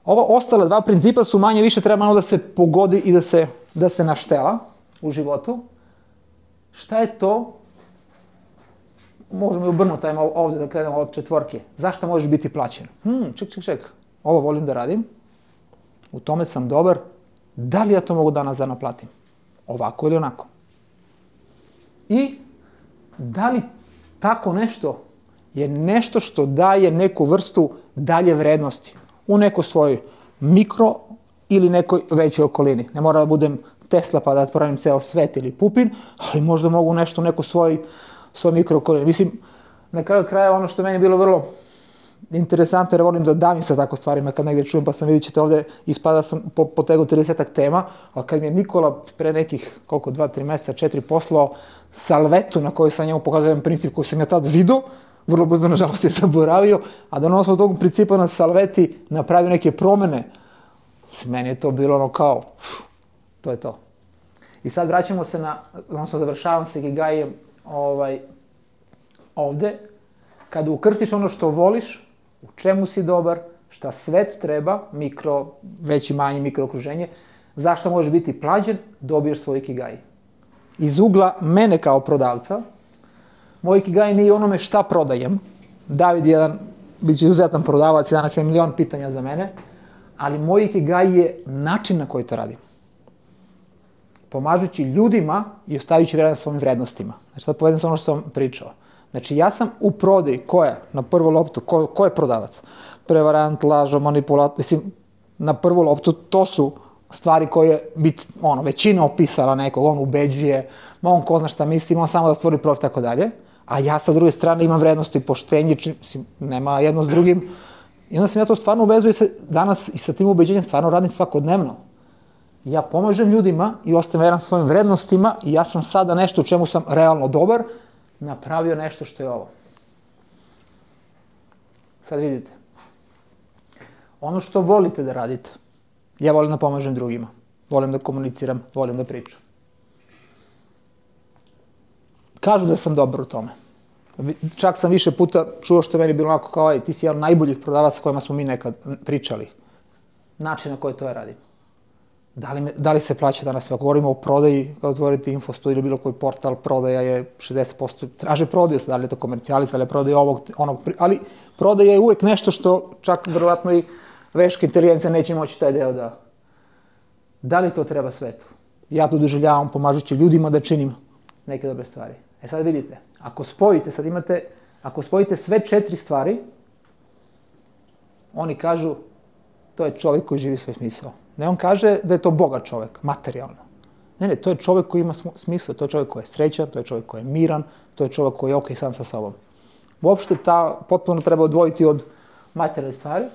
Ova ostala 2 principa su manje više treba malo da se pogodi i da se naštela u životu. Šta je to? Možemo i obrnuti ovdje da krenemo od 4. Zašto možeš biti plaćen? Ček. Ovo volim da radim. U tome sam dobar. Da li ja to mogu danas da naplatim? Ovako ili onako? I da li tako nešto je nešto što daje neku vrstu dalje vrednosti u nekoj svojoj mikro ili nekoj većoj okolini. Ne mora da budem Tesla pa da pravim ceo svet ili Pupin, ali možda mogu nešto u nekoj svoj mikrookolini. Mislim, na kraju kraja ono što meni je bilo vrlo interesantno, jer volim da davim sa tako stvarima kad negdje čujem, pa sam vidjet ćete ovdje, ispada sam potegao 30-ak tema, ali kad mi je Nikola pre nekih, 2-3 mjeseca, 4 poslao salvetu na kojoj sam njemu pokazao jedan princip koji sam ja tad vidio, vrlo brzo nažalost je zaboravio, a da on osnovu tog principa na salveti napravio neke promjene, meni je to bilo ono kao, to je to. I sad vraćamo se odnosno završavam se ikigaiem ovdje, kada ukrstiš ono što voliš, u čemu si dobar, šta svet treba, veći manji mikrookruženje, zašto možeš biti plaćen, dobiješ svoj ikigai. Iz ugla mene kao prodavca, moj ikigai nije onome šta prodajem. David je bit će izuzetan prodavac, danas je milion pitanja za mene, ali moj ikigai je način na koji to radim. Pomažući ljudima i ostavljajući vremena svojim vrednostima. Znači, sad povedem se ono što sam pričao. Znači, ja sam u prodaji, ko je na prvu loptu, ko je prodavac? Prevarant, lažo, manipulator, mislim, na prvu loptu, to su stvari koje većina opisala nekog, on ubeđuje, on ko zna šta misli, on samo da stvori profit, tako dalje. A ja sa druge strane imam vrednosti, poštenje, nema jedno s drugim. I onda sam ja to stvarno uvezuju danas i sa tim ubeđenjem stvarno radim svakodnevno. Ja pomažem ljudima i ostajem veran svojim vrednostima i ja sam sada nešto u čemu sam realno dobar, napravio nešto što je ovo. Sad vidite. Ono što volite da radite, ja volim da pomažem drugima, volim da komuniciram, volim da pričam. Kažu da sam dobar u tome. Čak sam više puta čuo što je meni bilo onako kao, ti si jedan od najboljih prodavaca s kojima smo mi nekad pričali. Način na koji to ja radim. Da li se plaća danas? Ako govorimo o prodaji, kada otvorite Infostudiju ili bilo koji portal, prodaja je 60%, traže prodaju se, da li je to komercijalist, da li je prodaja onog, ali prodaja je uvek nešto što čak vjerovatno i veška inteligencija neće moći taj deo da... Da li to treba svetu? Ja to doživljavam pomažući ljudima da činim neke dobre stvari. Sad vidite, ako spojite sve 4 stvari, oni kažu, to je čovjek koji živi svoj smisao. Ne, on kaže da je to bogat čovjek, materijalno. Ne, to je čovjek koji ima smisao, to je čovjek koji je srećan, to je čovjek koji je miran, to je čovjek koji je okej sam sa sobom. Uopšte potpuno treba odvojiti od materijalne stvari.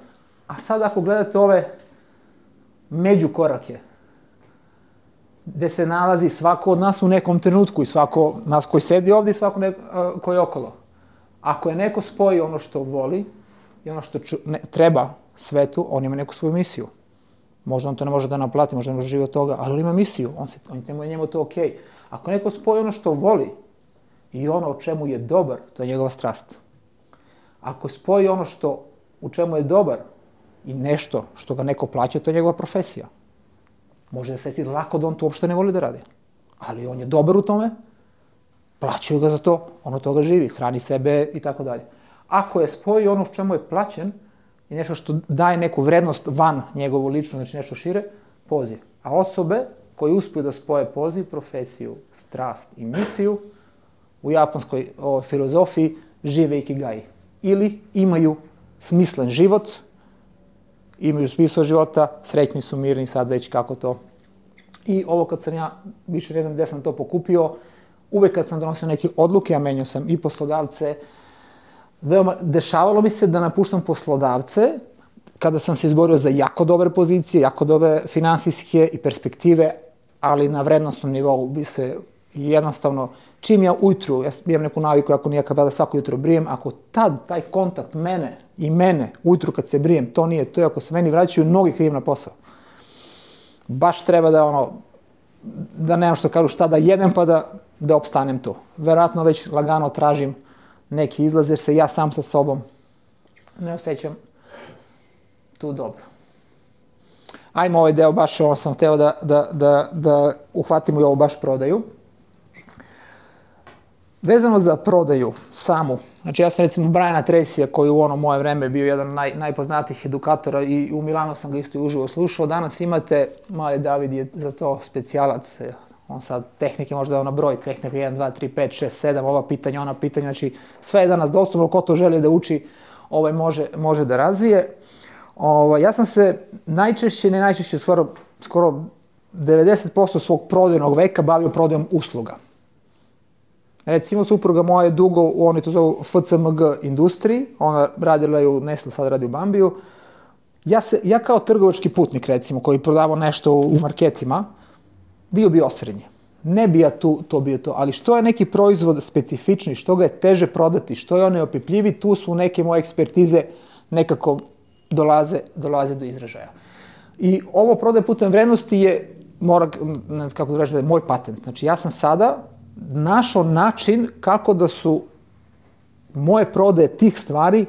A sad ako gledate ove međukorake, gde se nalazi svako od nas u nekom trenutku i svako nas koji sedi ovdje i svako koji je okolo. Ako je neko spoji ono što voli i ono što treba svetu, on ima neku svoju misiju. Možda on to ne može da naplati, možda ne može živjeti od toga, ali on ima misiju, njemu je to okej. Ako neko spoji ono što voli i ono o čemu je dobar, to je njegova strast. Ako spoji ono u čemu je dobar i nešto što ga neko plaća, to je njegova profesija. Može da se sjeti lako da on to uopšte ne voli da radi. Ali on je dobar u tome, plaćaju ga za to, on od toga živi, hrani sebe i tako dalje. Ako je spoji ono u čemu je plaćen i nešto što daje neku vrednost van njegovu ličnu, znači nešto šire, poziv. A osobe koje uspiju da spoje poziv, profesiju, strast i misiju, u japanskoj filozofiji žive ikigai. Ili imaju smislen život, imaju smisao života, srećni su, mirni, sad već kako to. I ovo kad sam ja, više ne znam gde sam to pokupio, uvek kad sam donosio neke odluke, a menjao sam i poslodavce, dešavalo mi se da napuštam poslodavce kada sam se izborio za jako dobre pozicije, jako dobre finansijske i perspektive, ali na vrednostnom nivou bi se jednostavno, čim ja ujutru, ja imam neku naviku, ako nijakav da svako jutro brijem, ako tad taj kontakt mene, ujutru kad se brijem, to nije to, ako se meni vraćaju nogi kad idem na posao. Baš treba da nemam što kažu šta da jedem pa da opstanem tu. Verovatno već lagano tražim neki izlaz jer se ja sam sa sobom ne osjećam tu dobro. Ajmo ovaj deo, baš ovo sam hteo da uhvatimo i ovo baš prodaju. Vezano za prodaju samu, znači ja sam recimo Briana Tracyja koji u ono moje vreme bio jedan najpoznatijih edukatora i u Milanu sam ga isto i uživo slušao. Danas imate, mali David je za to specijalac, on sad tehnike možda na broj, tehnika 1, 2, 3, 5, 6, 7, ova pitanja, ona pitanja, znači sve je danas dostupno, ko to želi da uči može da razvije. Ja sam se najčešće, skoro 90% svog prodajnog veka bavio prodajom usluga. Recimo, supruga moja je dugo, oni to zovu FCMG industriji, ona radila je u Nestle, sad radi u Bambiju. Ja kao trgovački putnik, recimo, koji prodavao nešto u marketima, bio bi osrednji. Ne bi ja to bio to, ali što je neki proizvod specifični, što ga je teže prodati, što je on neopipljivi, tu su neke moje ekspertize nekako dolaze do izražaja. I ovo prodaje putem vrednosti je, kako da kažem, moj patent. Znači, ja sam sada našao način kako da su moje prodaje tih stvari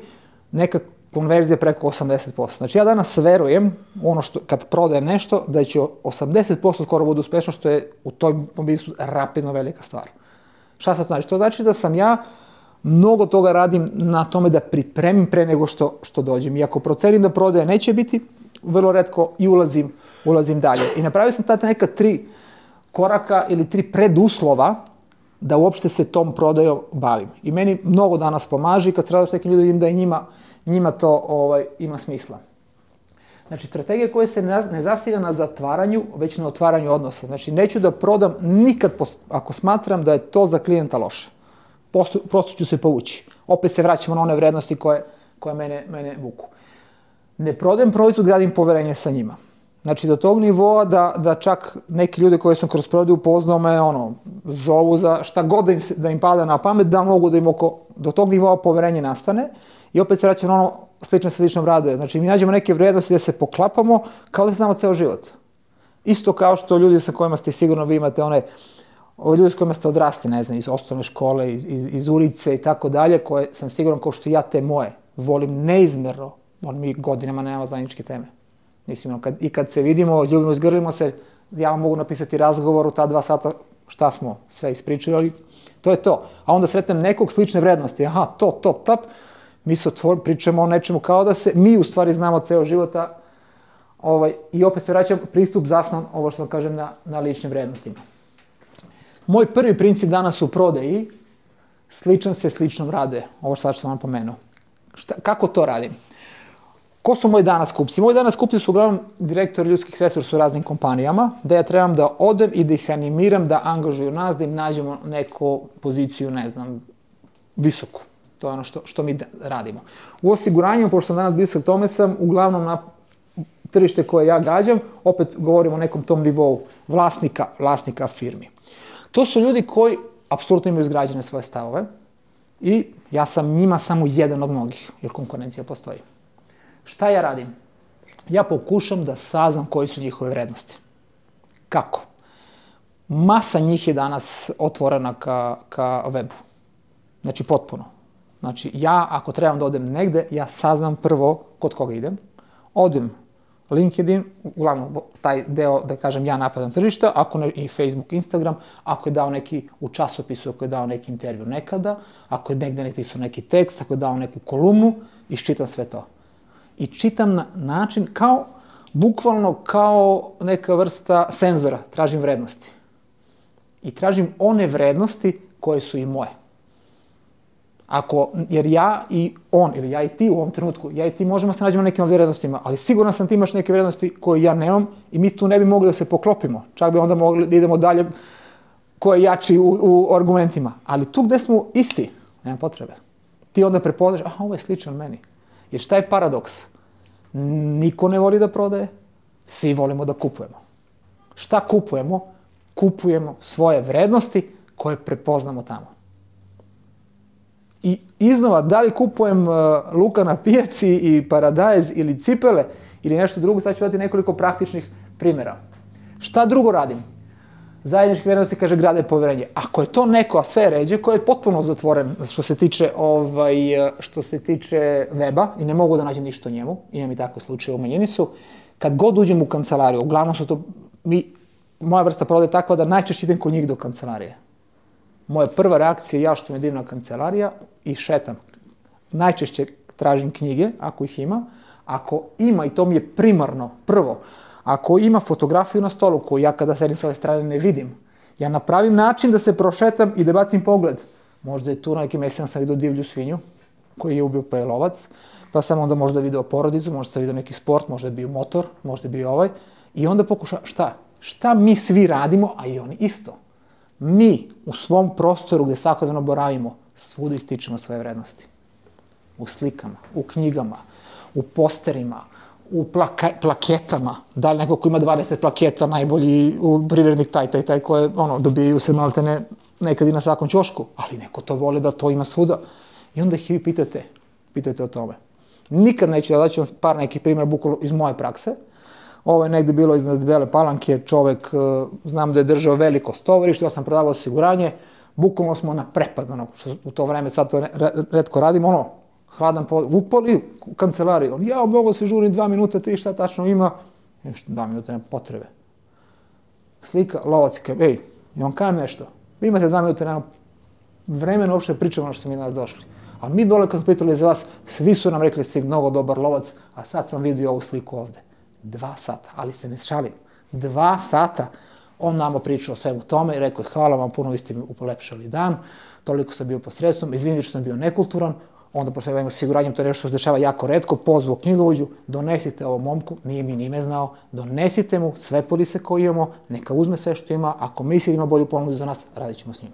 konverzija preko 80%. Znači ja danas verujem ono što kad prodajem nešto da će 80% skoro bude uspešno, što je u tom biznisu rapidno velika stvar. Šta sad to znači? To znači da sam ja mnogo toga radim na tome da pripremim pre nego što dođem. I ako procenim da prodaje neće biti, vrlo retko i ulazim dalje. I napravio sam tada neka 3 koraka ili 3 preduslova da uopšte se tom prodajom bavim. I meni mnogo danas pomaže i kad se radim s nekim ljudima da i njima to ima smisla. Znači, strategija koja se ne zasniva na zatvaranju, već na otvaranju odnosa. Znači, neću da prodam nikad ako smatram da je to za klijenta loše. Prosto ću se povući. Opet se vraćamo na one vrednosti koje mene vuku. Ne prodajem proizvod, gradim poverenje sa njima. Znači, do tog nivoa da čak neki ljudi koje sam kroz prodaju upoznao me, zovu za šta god da im pada na pamet, da mogu da im do tog nivoa poverenje nastane. I opet se vraćamo na ono slično sa ličnom raduje. Znači, mi nađemo neke vrednosti da se poklapamo kao da se znamo ceo život. Isto kao što ljudi sa kojima ste sigurno, vi imate ljudi s kojima ste odrasli, ne znam, iz osnovne škole, iz ulice i tako dalje, koje sam siguran kao što ja te moje volim neizmerno, mi godinama nemamo zajedničke teme. Mislim, kad se vidimo, ljubimo, zgrlimo se, ja vam mogu napisati razgovor u ta 2 sata šta smo sve ispričali, to je to. A onda sretnem nekog slične vrednosti, aha, to, top, top, mi se pričamo o nečemu kao da se mi u stvari znamo ceo života i opet se vraćam pristup zasnovan, ovo što vam kažem, na ličnim vrednostima. Moj prvi princip danas u prodaji, sličan se sličnom raduje, ovo što sam vam pomenuo. Kako to radim? Ko su moji danas kupci? Moji danas kupci su uglavnom direktori ljudskih resursa u raznim kompanijama, da ja trebam da odem i da ih animiram da angažuju nas, da im nađemo neku poziciju, ne znam, visoku. To je ono što mi radimo. U osiguranju, pošto sam danas blisak tome, sam uglavnom na tržište koje ja gađam, opet govorimo o nekom tom nivou vlasnika firmi. To su ljudi koji apsolutno imaju izgrađene svoje stavove i ja sam njima samo jedan od mnogih, jer konkurencija postoji. Šta ja radim? Ja pokušam da saznam koji su njihove vrednosti. Kako? Masa njih je danas otvorena ka webu. Znači, potpuno. Znači, ja ako trebam da odem negde, ja saznam prvo kod koga idem. Odem LinkedIn, uglavnom taj deo, da kažem, ja napadam tržišta, ako ne i Facebook, Instagram, ako je dao neki u časopisu, ako je dao neki intervju nekada, ako je negde napisao neki tekst, ako je dao neku kolumnu, iščitam sve to. I čitam na način bukvalno kao neka vrsta senzora, tražim vrednosti. I tražim one vrednosti koje su i moje. Jer ja i on, ili ja i ti u ovom trenutku, ja i ti možemo se nađemo nekim vrednostima, ali siguran sam ti imaš neke vrednosti koje ja nemam i mi tu ne bi mogli da se poklopimo. Čak bi onda mogli da idemo dalje ko je jači u argumentima. Ali tu gde smo isti, nema potrebe. Ti onda prepoznaš, aha, ovo je sličan meni. Jer šta je paradoks? Niko ne voli da prodaje, svi volimo da kupujemo. Šta kupujemo? Kupujemo svoje vrednosti koje prepoznamo tamo. I iznova, da li kupujem luka na pijaci i paradajz ili cipele ili nešto drugo, sad ću dati nekoliko praktičnih primjera. Šta drugo radim? Zajedničke vrednosti, kaže, grade poverenje. Ako je to neko, a sve ređe, koji je potpuno zatvoren što se tiče weba i ne mogu da nađem ništa o njemu, imam i takve slučaje, u manjini su, kad god uđem u kancelariju, uglavnom su to, moja vrsta prodaje takva da najčešće idem kod njih do kancelarije. Moja prva reakcija je ja što me divna kancelarija i šetam. Najčešće tražim knjige, ako ih ima. Ako ima, i to mi je primarno, prvo, ako ima fotografiju na stolu koju ja kada sedim s ove strane ne vidim, ja napravim način da se prošetam i da bacim pogled. Možda je tu na nekim mesecima sam vidio divlju svinju koju je ubio lovac, pa sam onda možda video porodicu, možda sam vidio neki sport, možda je bio motor, možda je bio ovaj. I onda pokušam, šta mi svi radimo, a i oni isto. Mi u svom prostoru gde svakodnevno boravimo, svuda ističemo svoje vrednosti. U slikama, u knjigama, u posterima, u plaketama. Da li neko ko ima 20 plaketa, najbolji privrednik taj koje dobijaju se maltene nekad i na svakom ćošku, ali neko to voli da to ima svuda. I onda ih vi pitate o tome. Nikad neću da daću vam par nekih primjera bukvalno iz moje prakse. Ovo je negde bilo iznad Bele Palanke, čovek, znam da je držao veliko stovarište, ja sam prodavao osiguranje, bukvalno smo na prepad, što u to vreme, sad to retko radim, hladan pogled, upali u kancelariju, on, ja mogu se žurim 2 minuta, 3, šta tačno ima, nešto 2 minuta, nema potrebe. Slika, lovac, ej, ja vam kajem nešto, vi imate 2 minuta, nema vremena uopšte pričamo ono što smo mi danas došli. A mi dole kad pitali za vas, svi su nam rekli da ste mnogo dobar lovac, a sad sam vidio ovu sliku ovde. 2 sata, ali se ne šalim. 2 sata. On nama pričao o svemu tome i rekao, hvala vam puno, vi ste mi upolepšali dan, toliko sam bio pod stresom, izvinite što sam bio nekulturan, onda pošto imamo osiguranjem, to je nešto što se dešava jako retko, pozvao knjigovođu, donesite ovom momku, nije mi ni ime znao, donesite mu sve polise koje imamo, neka uzme sve što ima, ako misli da ima bolju ponudu za nas, radit ćemo s njim.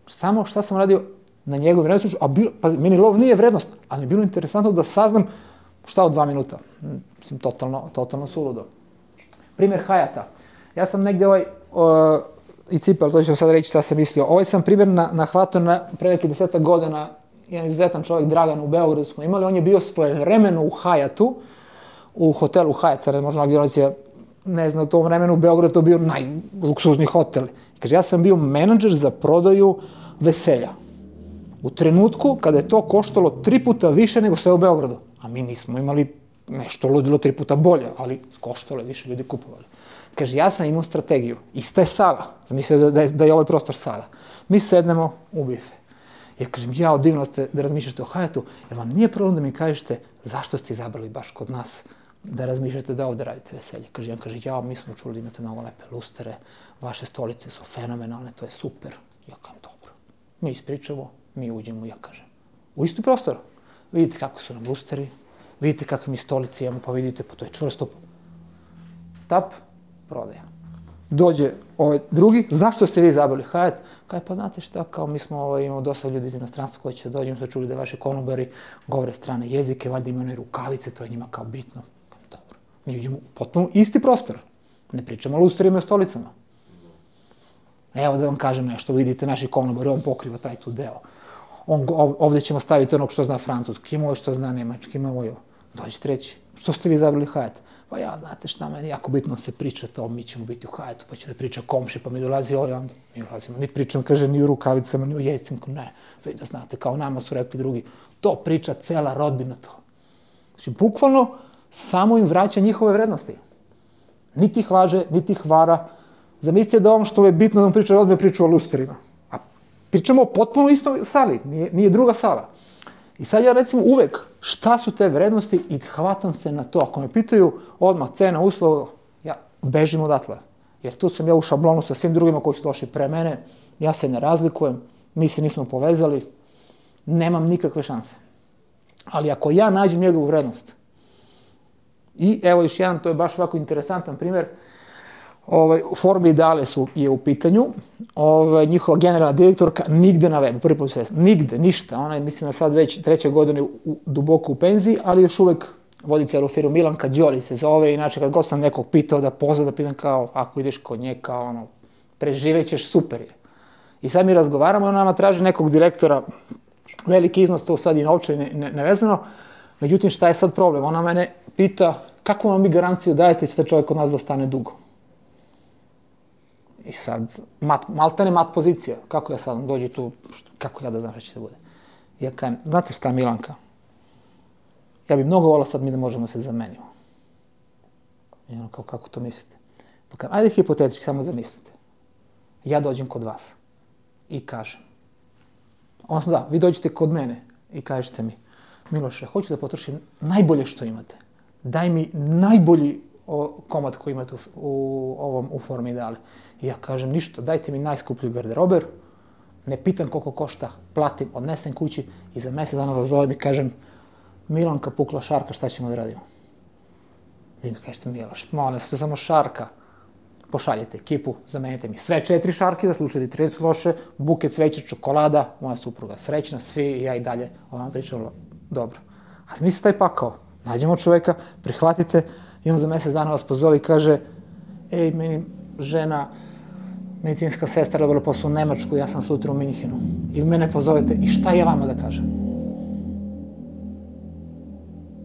Samo šta sam radio na njegovim vrednosti, a pazi, meni lov nije vrednost, ali je bilo interesantno da saznam šta od 2 minuta. Mislim, totalno suludo. Primjer Hayata. Ja sam negdje i cipel, to ću sad reći šta sam mislio. Ovaj sam primjer nahvatao na pre nekih 10 godina, jedan izuzetan čovjek, Dragan, u Beogradu smo imali, on je bio svojevremeno u Hayatu, u hotelu Hayat, možda generacija, ne znam, u tom vremenu u Beogradu to bio najluksuzni hotel. Kaže, ja sam bio menadžer za prodaju veselja. U trenutku kada je to koštalo 3 puta više nego sve u Beogradu. A mi nismo imali nešto ludilo 3 puta bolje, ali koštalo je više, ljudi kupovali. Kaže, ja sam imao strategiju. Ista je sala. Zamislite da je ovaj prostor sala. Mi sednemo u bife. Ja kažem, jao, divno ste da razmišljate o Hayatu, jer vam nije problem da mi kažete zašto ste izabrali baš kod nas da razmišljate da ovde radite veselje. Kaže, on kaže, jao, mi smo čuli da imate mnogo lepe lustere, vaše stolice su fenomenalne, to je super. Ja kažem, dobro. Mi ispričamo, mi uđemo, ja kažem, u isti prostor. Vidite kako su nam lusteri, vidite kakve mi stolice imamo, pa vidite, pa to je čvrsto. Tap, prodaja. Dođe ovaj drugi, zašto ste vi izabrali Hayat? Kaže, pa znate šta, kao mi smo imamo dosta ljudi iz inostranstva koji će dođemo, smo čuli da vaši konobari govore strane jezike, valjda imaju one rukavice, to je njima kao bitno. Dobro. Mi uđemo u potpuno isti prostor. Ne pričamo o lusterima i o stolicama. Evo da vam kažem nešto, vidite naši konobari, on pokriva taj tu deo. Ovdje ćemo staviti onog što zna francuski, ima ovo što zna nemački, ima ovo. Dođe treći, što ste vi izabrali Hayat? Pa ja, znate šta, meni jako bitno se priča to, mi ćemo biti u Hayatu, pa će da priča komši, pa mi dolazi ovaj, onda mi dolazimo, ni pričam, kaže, ni u rukavicama, ni u jejcima, ne, vi da znate, kao nama su rekli drugi, to priča cela rodbina to. Znači, bukvalno, samo im vraća njihove vrednosti. Niti ih laže, niti ih vara. Zamislite da ono što je bitno da vam priča rodbina, priča o lusterima. A pričamo o potpuno istoj sali, nije druga sala. I sad ja recimo uvek, šta su te vrednosti i hvatam se na to. Ako me pitaju odmah cena, uslova, ja bežim odatle. Jer tu sam ja u šablonu sa svim drugima koji su došli pre mene, ja se ne razlikujem, mi se nismo povezali, nemam nikakve šanse. Ali ako ja nađem njegovu vrednost, i evo još jedan, to je baš ovako interesantan primjer, Forme Ideale je u pitanju, njihova generalna direktorka nigde na webu, prvi put se nigde, ništa, ona je mislim da sad već 3. godine duboko u penziji, ali još uvek vodi celu firmu, Milanka Đoli se zove, inače kad god sam nekog pitao da pozva, da pitam kao, ako ideš kod nje, kao ono, preživećeš, super je. I sad mi razgovaramo, ona nama traži nekog direktora, veliki iznos, to sad i novčani nevezano, međutim šta je sad problem, ona mene pita, kako vam vi garanciju dajete će da čovjek kod nas da ostane dugo? I sad, maltene mat pozicija, kako ja sad dođi tu, kako ja da znam šta će da bude. Ja kajem, znate šta Milanka, ja bi mnogo volao sad mi da možemo se zamenimo. I ono kao, kako to mislite? Pa kajem, ajde hipotetički, samo zamislite. Ja dođem kod vas i kažem, odnosno da, vi dođete kod mene i kažete mi, Miloše, hoću da potrošim najbolje što imate. Daj mi najbolji komad koji imate u Forme Ideale. I ja kažem, ništa, dajte mi najskuplju garderober, ne pitam koliko košta, platim, odnesem kući i za mjesec dana vas zovem i kažem, Milanka pukla šarka, šta ćemo da radimo? Vi mi kažete, Miloš, molim, to je samo šarka. Pošaljete ekipu, zamenite mi sve 4 šarke, da slučajte 30 loše, buket cveća, čokolada, moja supruga srećna, svi i ja i dalje. Ovo vam pričalo, dobro. A zamislite taj pakao, nađemo čoveka, prihvatite i on za mjesec dana vas pozove i kaže, ej, meni žena, medicinska sestra dobila posao u Nemačku, ja sam sutra u Minhenu. I mene pozovete i šta ja vama da kažem?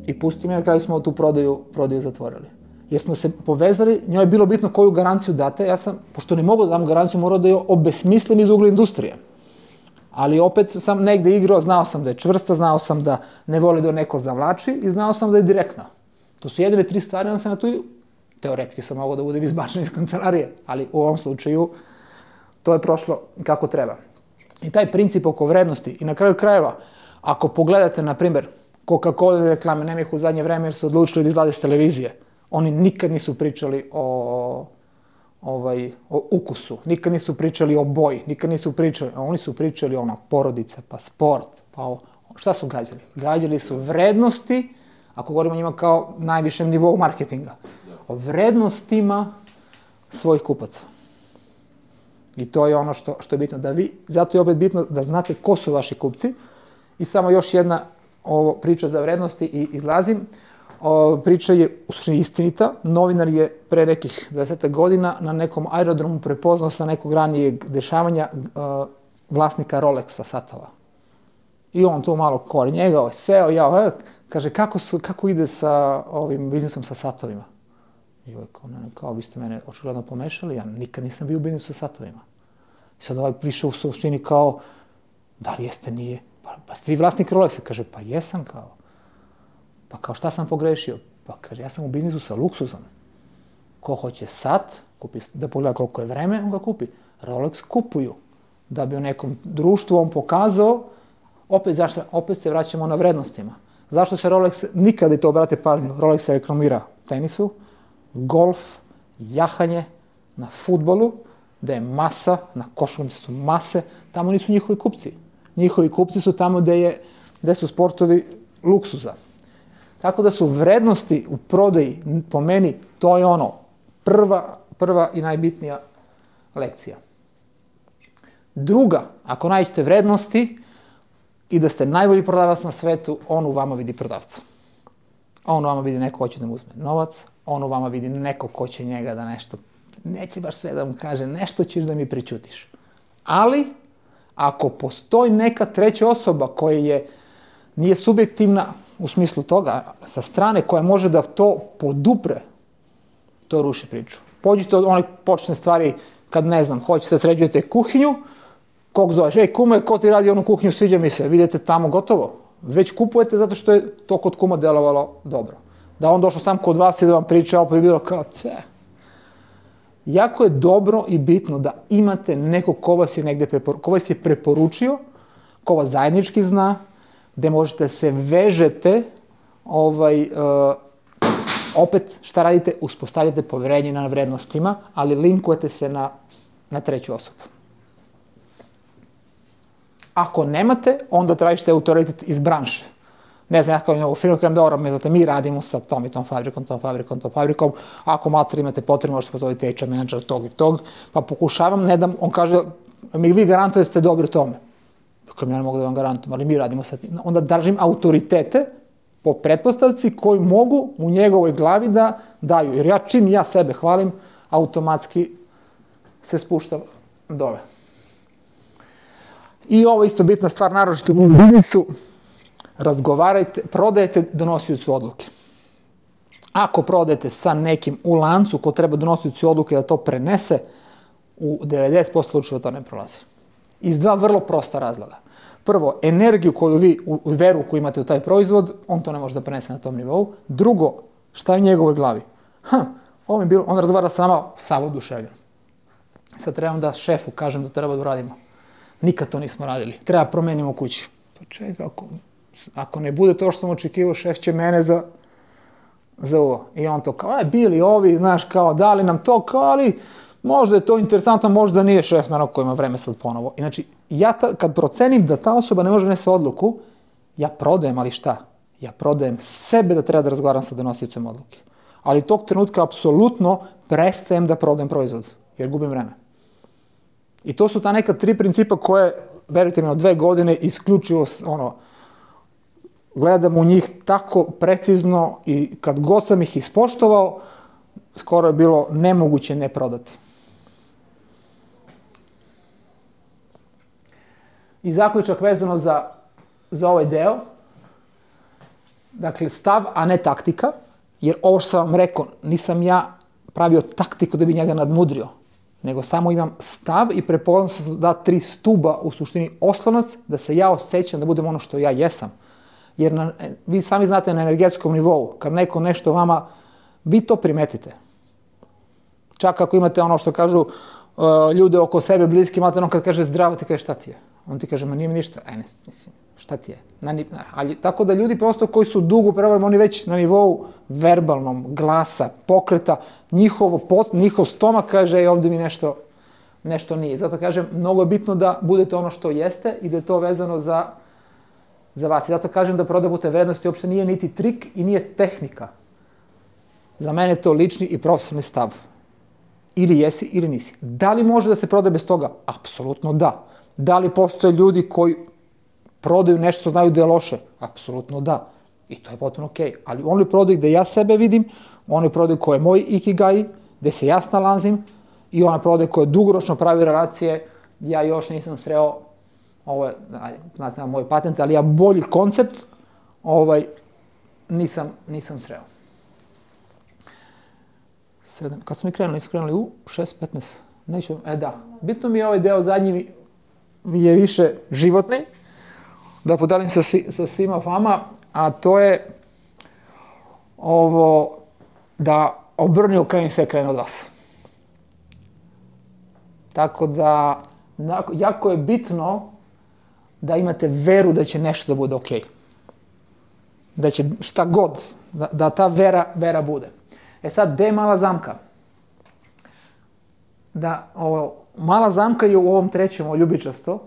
I pusti me, na kraju smo tu prodaju zatvorili. Jer smo se povezali, njoj je bilo bitno koju garanciju date, ja sam, pošto ne mogu da dam garanciju, morao da je obesmislim iz ugla industrije. Ali opet sam negde igrao, znao sam da je čvrsta, znao sam da ne voli da neko zavlači i znao sam da je direktna. To su jedine 3 stvari, onda sam na tu, teoretski sam mogao da budem izbačen iz kancelarije, ali u ovom slučaju to je prošlo kako treba. I taj princip oko vrednosti i na kraju krajeva, ako pogledate, na primjer, Coca-Cola reklame, nema ih u zadnje vreme jer su odlučili da izlaze s televizije, oni nikad nisu pričali o ukusu, nikad nisu pričali o boji, nikad nisu pričali, oni su pričali o porodica, pa sport, pa šta su gađali? Gađali su vrednosti, ako govorimo o njima kao najvišem nivou marketinga, o vrednostima svojih kupaca. I to je ono što je bitno, da vi, zato je opet bitno da znate ko su vaši kupci. I samo još jedna priča za vrednosti i izlazim. Priča je u suštini istinita. Novinar je pre nekih 20 godina na nekom aerodromu prepoznao sa nekog ranijeg dešavanja vlasnika Rolexa satova. I on to malo kori njega, seo, kaže kako ide sa ovim biznisom sa satovima. I ovaj kao, vi ste mene očigledno pomešali, ja nikad nisam bio u biznisu sa satovima. I sad ovaj više u suštini kao, da li jeste, nije? Pa ste vi vlasnik Rolexa? Kaže, pa jesam kao. Pa kao šta sam pogrešio? Pa kaže, ja sam u biznisu sa luksuzom. Ko hoće sat, da pogleda koliko je vreme, on ga kupi. Rolex kupuju. Da bi u nekom društvu on pokazao, opet se vraćamo na vrednostima. Zašto se Rolex, nikada i to obrate pažnju, Rolex se reklamira tenisu, golf, jahanje, na fudbalu, da je masa, na košarci su mase, tamo nisu njihovi kupci. Njihovi kupci su tamo gde su sportovi luksuza. Tako da su vrednosti u prodaji, po meni, to je ono, prva i najbitnija lekcija. Druga, ako nađete vrednosti i da ste najbolji prodavac na svetu, on u vama vidi prodavca. On u vama vidi neko ko će da mu uzme novac, on u vama vidi neko ko će njega da nešto, neće baš sve da mu kaže, nešto ćeš da mi prećutiš. Ali, ako postoji neka treća osoba koja nije subjektivna u smislu toga, sa strane koja može da to podupre, to ruši priču. Pođite od one počne stvari, kad ne znam, hoćete da sređujete kuhinju, kog zoveš, kume, ko ti radi onu kuhinju, sviđa mi se, vidite tamo gotovo. Već kupujete zato što je to kod kuma delovalo dobro. Da on došao sam kod vas i da vam priča, opet je bilo kao, Jako je dobro i bitno da imate nekog ko vas je preporučio, ko vas zajednički zna, gde možete se vežete, opet šta radite, uspostavljate poverenje na vrednostima, ali linkujete se na treću osobu. Ako nemate, onda tražite autoritet iz branše. Ne znam, ja kao u firmu kažem, dobro, mi radimo sa tom i tom fabrikom, ako mater imate potrebno, možete pozoviti HR menadžera tog i tog, pa pokušavam, ne dam, on kaže, vi garantujete da ste dobri u tome. Dakle, ja ne mogu da vam garantujem, ali mi radimo sa tim. Onda držim autoritete po pretpostavci koji mogu u njegovoj glavi da daju. Jer čim ja sebe hvalim, automatski se spuštam dole. I ovo isto bitna stvar, naročito u biznisu, razgovarajte, prodajete donosiocu odluke. Ako prodajete sa nekim u lancu ko treba donosiocu odluke da to prenese, u 90% slučajeva to ne prolazi. Iz dva vrlo prosta razloga. Prvo, energiju koju vi, veru koju imate u taj proizvod, on to ne može da prenese na tom nivou. Drugo, šta je u njegovoj glavi? Ovo je bilo, on razgovara sa nama sav oduševljen. Sad trebam da šefu kažem da treba da uradimo. Nikad to nismo radili. Treba promenimo u kući. Pa čekaj, ako ne bude to što sam očekivao, šef će mene za ovo. I on to kao, bili ovi, znaš, kao, dali nam to, kao, ali možda je to interesantno, možda nije šef, naravno, ko ima vreme sad ponovo. Znači, ja kad procenim da ta osoba ne može donese odluku, ja prodajem, ali šta? Ja prodajem sebe da treba da razgovaram sa donosiocem odluke. Ali tog trenutka apsolutno prestajem da prodajem proizvod, jer gubim vreme. I to su ta neka 3 principa koje, verujte mi, od 2 godine isključivo, gledam u njih tako precizno i kad god sam ih ispoštovao, skoro je bilo nemoguće ne prodati. I zaključak vezano za ovaj deo, dakle stav, a ne taktika, jer ovo što sam vam rekao, nisam ja pravio taktiku da bi njega nadmudrio. nego samo imam stav i prepoznam sam da 3 stuba u suštini oslonac, da se ja osjećam da budem ono što ja jesam. Jer vi sami znate na energetskom nivou, kad neko nešto vama, vi to primetite. Čak ako imate ono što kažu ljude oko sebe bliski, imate ono kad kaže zdravo, ti kaže šta ti je? On ti kaže, ma nije mi ništa. Mislim, šta ti je? Ali, tako da ljudi prosto koji su dugo pregovorima, oni već na nivou verbalnom, glasa, pokreta, njihov stomak kaže, ovdje mi nešto nije. Zato kažem, mnogo je bitno da budete ono što jeste i da je to vezano za vas. I zato kažem da prodavute vrednosti uopšte nije niti trik i nije tehnika. Za mene je to lični i profesionalni stav. Ili jesi ili nisi. Da li može da se prodaje bez toga? Apsolutno da. Da li postoje ljudi koji prodaju nešto što znaju da je loše? Apsolutno da. I to je potpuno okej. Ali oni prodaju gde ja sebe vidim, oni prodaju koje je moj ikigai, gde se ja snalazim i ona prodaje koje dugoročno pravi relacije. Ja još nisam sreo, ovo je, znači moj patent, ali ja bolji koncept nisam sreo. Kad smo mi krenuli, nisu krenuli u 6:15. Neću, da. Bitno mi je ovaj deo zadnji je više životni, da podelim sa svima vama, a to je ovo da obrni okreni sve krene od vas. Tako da, jako je bitno da imate veru da će nešto da bude okej. Da će šta god, da ta vera bude. Sad, gde je mala zamka? Mala zamka je u ovom trećem, ovo ljubičasto.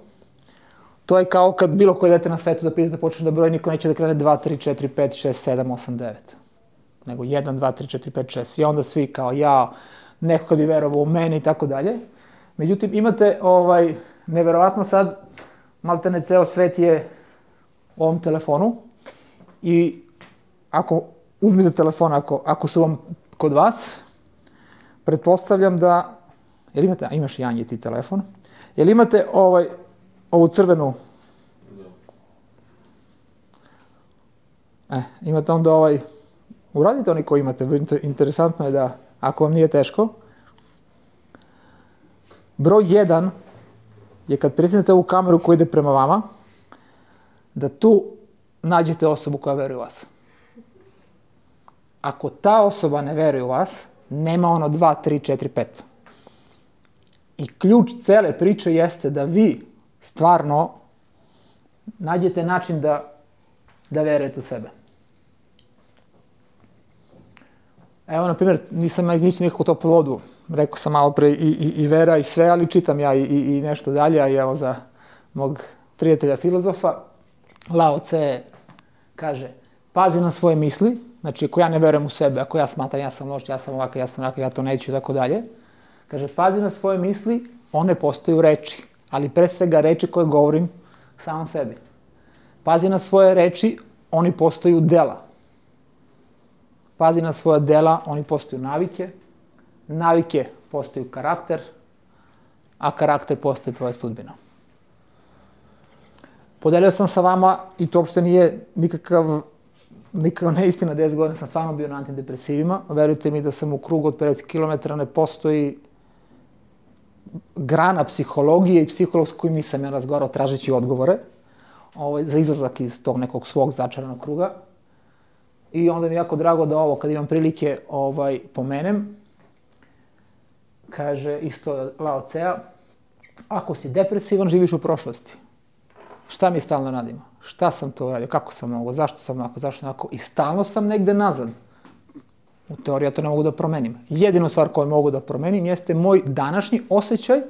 To je kao kad bilo koje dete na svetu da pitate, počne da broji, niko neće da krene 2, 3, 4, 5, 6, 7, 8, 9. Nego 1, 2, 3, 4, 5, 6. I onda svi kao ja, neko kad bi verovao u mene i tako dalje. Međutim, imate neverovatno sad, maltene ceo svet je u ovom telefonu i ako uzmite telefon, ako su vam kod vas, pretpostavljam da, jel imate, imaš Janje ti telefon, jel imate ovu crvenu, imate onda uradite oni koji imate, interesantno je da, ako vam nije teško, broj 1 je kad pritisnete ovu kameru koja ide prema vama, da tu nađete osobu koja veruje u vas. Ako ta osoba ne veruje u vas, nema 2, 3, 4, 5. I ključ cele priče jeste da vi stvarno nađete način da verujete u sebe. Evo, na primjer, nisam nikako toplu vodu. Rekao sam malo pre i vera i sve, ali čitam ja i nešto dalje, a i evo za mog prijatelja filozofa, Lao Tse kaže, pazi na svoje misli, znači ako ja ne verujem u sebe, ako ja smatram ja sam loš, ja sam ovakav, ja to neću i tako dalje, kaže, pazi na svoje misli, one postaju reči, ali pre svega reči koje govorim samom sebi. Pazi na svoje reči, oni postaju dela. Pazi na svoja dela, oni postaju navike, navike postaju karakter, a karakter postaje tvoja sudbina. Podelio sam sa vama, i to uopšte nije nikakav neistina, 10 godina sam stvarno bio na antidepresivima. Verujte mi da sam u krugu od 50 km ne postoji grana psihologije i psiholog s kojim nisam ja razgovarao tražeći odgovore za izlazak iz tog nekog svog začaranog kruga. I onda mi je jako drago da ovo, kad imam prilike, pomenem. Kaže isto Lao Tsea, ako si depresivan, živiš u prošlosti. Šta mi stalno radimo? Šta sam to uradio? Kako sam mogao? Zašto sam onako? Zašto onako? I stalno sam negde nazad. U teoriji ja to ne mogu da promenim. Jedinu stvar koju mogu da promenim jeste moj današnji osjećaj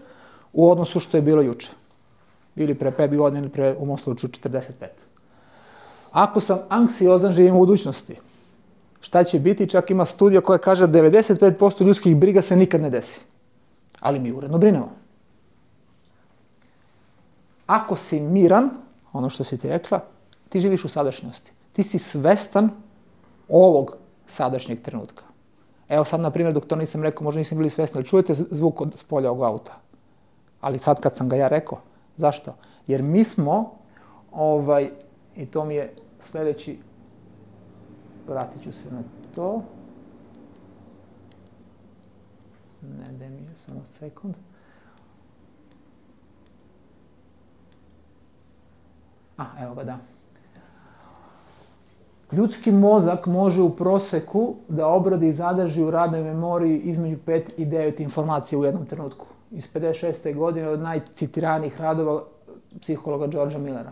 u odnosu što je bilo juče. Ili pre 5 godina, ili pre, u mom slučaju, 45. Ako sam anksiozan, živim u budućnosti. Šta će biti? Čak ima studija koja kaže da 95% ljudskih briga se nikad ne desi. Ali mi uredno brinemo. Ako si miran, ono što si ti rekla, ti živiš u sadašnjosti. Ti si svestan ovog sadašnjeg trenutka. Evo sad, na primjer, dok to nisam rekao, možda nisam bili svesni, ali čujete zvuk od spolja ovog auta. Ali sad kad sam ga ja rekao, zašto? Jer mi smo, i to mi je sljedeći, vratit ću se na to. Ne, daj mi samo sekund. Evo ga, da. Ljudski mozak može u proseku da obradi i zadrži u radnoj memoriji između 5 i 9 informacija u jednom trenutku. Iz 56. godine od najcitiranijih radova psihologa Georgea Millera.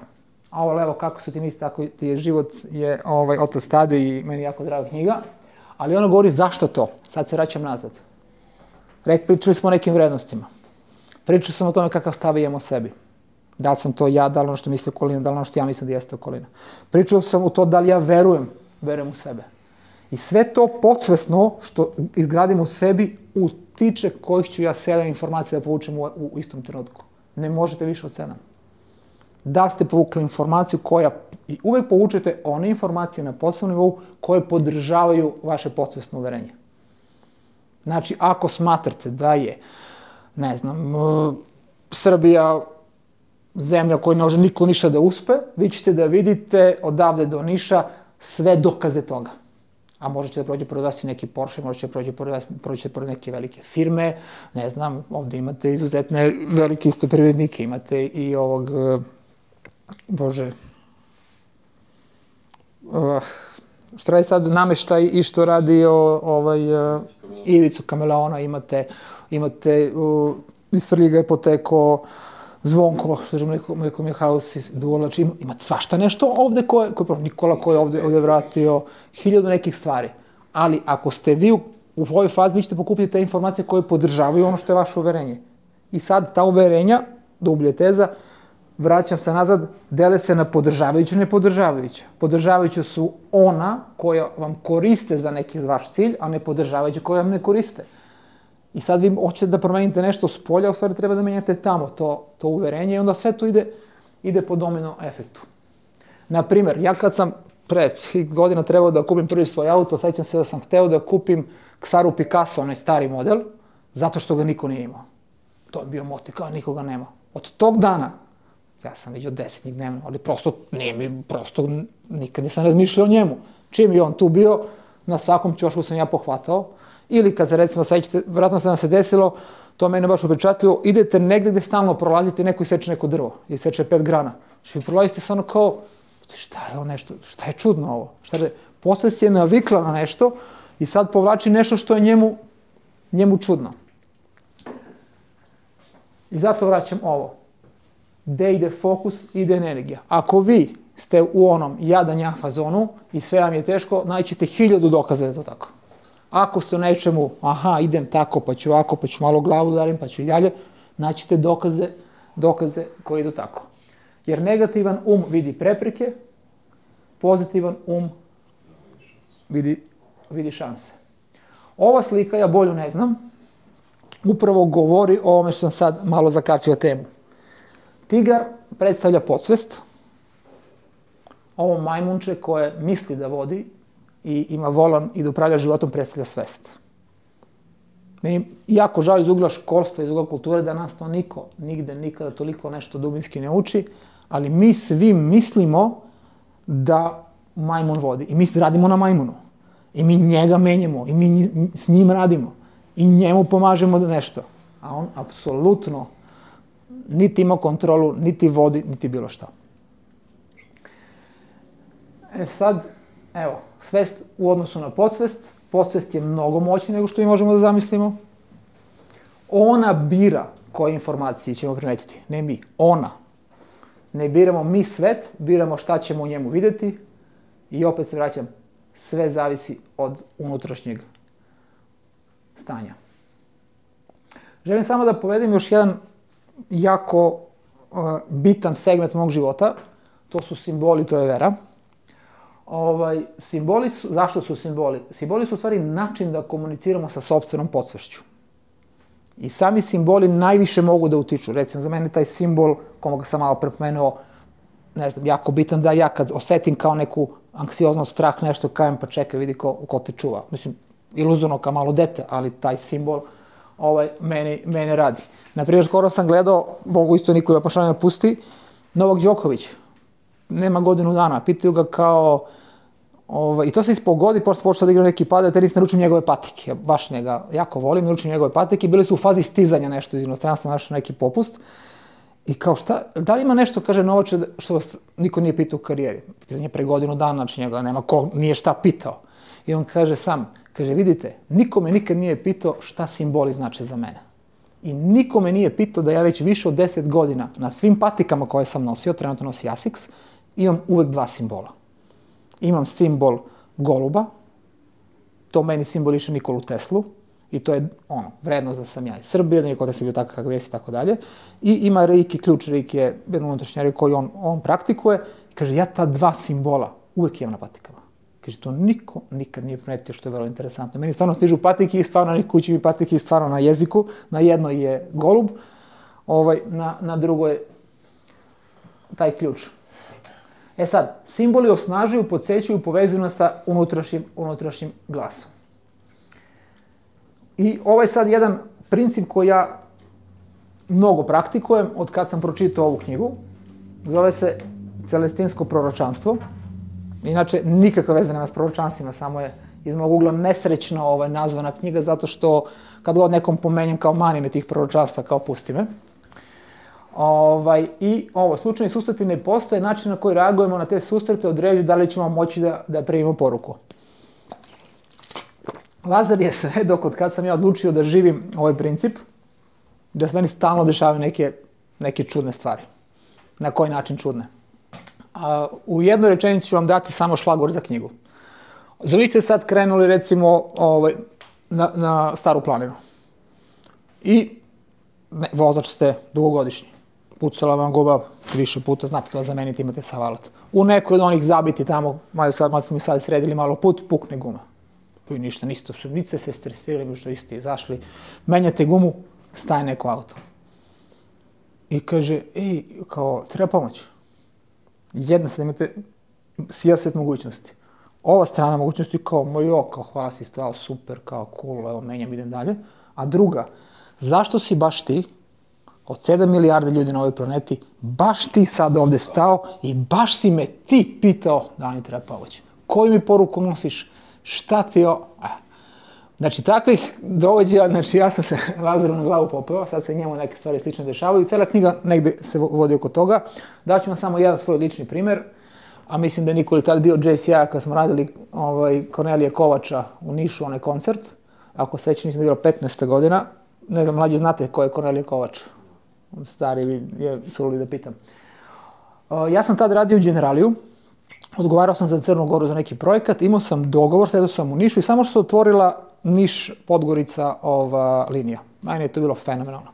A ovo levo, kako su ti misli, tako ti je život, je Otac Tade i meni jako draga knjiga. Ali ono govori zašto to. Sad se vraćam nazad. Pričali smo o nekim vrednostima. Pričao sam o tome kakav stav imam o sebi. Da li sam to ja, da li ono što misli okolina, da li ono što ja mislim da jeste okolina. Pričao sam o to da li ja verujem u sebe. I sve to podsvesno što izgradim u sebi utiče kojih ću ja 7 informacija da povučem u istom trenutku. Ne možete više od 7. Da ste povukli informaciju koja, i uvek povučete one informacije na podsvesnom nivou koje podržavaju vaše podsvesno uverenje. Znači, ako smatrate da je, ne znam, Srbija zemlja koju ne može niko ništa da uspe, vi ćete da vidite odavde do Niša sve dokaze toga. A možete da prođe pored vas i neki Porsche, možete da prođe pored neke velike firme, ne znam, ovde imate izuzetne velike isto privrednike, imate i ovog, što radi sad nameštaj i što radi Ivicu Kameleona, imate iz Svrljiga je potekao Zvonko, što je Mleko Mihajlović, Duolač, imate svašta nešto ovde Nikola koji je ovde vratio, 1000 nekih stvari. Ali ako ste vi u ovoj fazi, vi ćete pokupiti te informacije koje podržavaju ono što je vaše uverenje. I sad ta uverenja, dublje teza, vraćam se nazad, dele se na podržavajuće i nepodržavajuće. Podržavajuće su ona koja vam koriste za neki vaš cilj, a nepodržavajuće koja vam ne koriste. I sad vi hoćete da promenite nešto s polja, u stvari treba da menjate tamo to uverenje i onda sve to ide po domino efektu. Naprimer, ja kad sam pre godina trebao da kupim prvi svoj auto, sećam se da sam hteo da kupim Xaru Picasso, onaj stari model, zato što ga niko nije imao. To je bio motiv, kao nikoga nema. Od tog dana, ja sam vidio 10 njih dnevno, ali prosto nikad nisam razmišljao o njemu. Čim je on tu bio, na svakom ćošku sam ja pohvatao. Ili kad se recimo, vratno se nam se desilo, to mene baš upečatljivo, idete negde gde stalno prolazite, neko iseče neko drvo, iseče 5 grana. Što vi prolazite se ono kao, šta je ovo nešto, šta je čudno ovo? Posle si je navikla na nešto i sad povlači nešto što je njemu čudno. I zato vraćam ovo. Gde ide fokus, ide energija. Ako vi ste u onom jadanja fazonu i sve vam je teško, naćete 1000 dokaza da je to tako. Ako ste u nečemu, idem tako, pa ću ovako, pa ću malo glavu udarim, pa ću i dalje, naćete dokaze koji idu tako. Jer negativan vidi prepreke, pozitivan vidi šanse. Ova slika, ja bolju ne znam, upravo govori o ovome što sam sad malo zakačio temu. Tigar predstavlja podsvest, ovo majmunče koje misli da vodi i ima volan i da upravlja životom predstavlja svest. Meni jako žao iz ugla školstva, iz ugla kulture da nas to niko, nigde, nikada toliko nešto dubinski ne uči, ali mi svi mislimo da majmun vodi i mi radimo na majmunu. I mi njega menjamo i mi s njim radimo i njemu pomažemo nešto. A on apsolutno niti ima kontrolu, niti vodi, niti bilo šta. Sad, evo, svest u odnosu na podsvest. Podsvest je mnogo moćnija nego što mi možemo da zamislimo. Ona bira koje informacije ćemo primetiti, ne mi, ona. Ne biramo mi svet, biramo šta ćemo u njemu videti i opet se vraćam, sve zavisi od unutrašnjeg stanja. Želim samo da povedem još jedan jako bitan segment mog života, to su simboli, to je vera. Simboli su, zašto su simboli? Simboli su u stvari način da komuniciramo sa sopstvenom podsvešću. I sami simboli najviše mogu da utiču. Recimo, za mene taj simbol, koga sam malo prepomenuo, ne znam, jako bitan da ja kad osetim kao neku anksioznost, strah, nešto, kajem, pa čekaj, vidi ko te čuva. Mislim, iluzorno kao malo dete, ali taj simbol mene radi. Naprimjer, skoro sam gledao, mogu isto niko da pošalja pusti, Novak Đoković. Nema godinu dana. Pitaju ga kao, I to se ispogodi, pošto počeo da igra neki padel tenis, naručim njegove patike. Ja baš njega jako volim, naručim njegove patike. Bili su u fazi stizanja nešto iz inostranstva, našao neki popust. I kao šta, da li ima nešto, kaže Novače, što vas niko nije pitao u karijeri? Pitanje pre godinu dana, znači njega nema ko, nije šta pitao. I on kaže sam, kaže vidite, niko me nikad nije pitao šta simboli znače za mene. I niko me nije pitao da ja već više od 10 godina na svim patikama koje sam nosio, trenutno nosi Asics, imam uvek 2 simbola. Imam simbol goluba, to meni simboliše Nikolu Teslu, i to je vrednost da sam ja iz Srbije, niko da se bio takav kakav jesi i tako dalje. I ima Reiki, ključ Reiki je jedan unutrašnji Reiki koji on praktikuje. I kaže, ja ta 2 simbola uvek imam na patikama. Kaže, to niko nikad nije primetio, što je vrlo interesantno. Meni stvarno stižu patike i stvarno na kući mi patike i stvarno na jeziku. Na jednoj je golub, na drugoj je taj ključ. E sad, simboli osnažuju, podsjećaju, povezuju nas sa unutrašnjim glasom. I ovaj sad jedan princip koji ja mnogo praktikujem od kad sam pročitao ovu knjigu, zove se Celestinsko proročanstvo. Inače, nikakve veze nema s proročanstvima, samo je iz mog ugla nesrećno nazvana knjiga, zato što kad god nekom pomenjem kao manine tih proročanstva, kao pusti me. I slučajni susreti ne postoje, način na koji reagujemo na te susrete određuju da li ćemo moći da primimo poruku. Lazar je sve dok od kad sam ja odlučio da živim ovaj princip, da se meni stalno dešavaju neke čudne stvari. Na koji način čudne? U jednoj rečenici ću vam dati samo šlagvor za knjigu. Vi ste sad krenuli recimo na Staru planinu. I vozač ste dugogodišnji. Pucala vam guba više puta, znate to zameniti, imate savalat. U nekoj od onih zabiti tamo, malo smo mi sad sredili malo put, pukne guma. I ništa, niste se stresirali, što ste izašli, menjate gumu, staje neko auto. I kaže, treba pomoć. Jedna sad imate sijaset mogućnosti. Ova strana mogućnosti kao, hvala si stao, super, kao cool, evo menjam, idem dalje. A druga, zašto si baš ti, od 7 milijarde ljudi na ovoj planeti, baš ti sad ovde stao i baš si me ti pitao da li treba pomoć? Koju mi poruku nosiš? Šta ti je? Znači, takvih dovođaja, znači ja sam se Lazaru na glavu popeo, sad se njemu neke stvari slične dešavaju. Cela knjiga negde se vodi oko toga. Daću vam samo jedan svoj lični primer, a mislim da je Nikoli tad bio JCI-a kad smo radili Kornelije Kovača u Nišu, onaj koncert. Ako sećam, mislim da je bilo 15. godina. Ne znam, mlađi znate ko je Kornelije Kovač. Stari je suludi da pitam. Ja sam tad radio u Generaliju. Odgovarao sam za Crnu Goru za neki projekat, imao sam dogovor, sedao sam u Nišu i samo što se otvorila Niš-Podgorica linija. Meni je to bilo fenomenalno.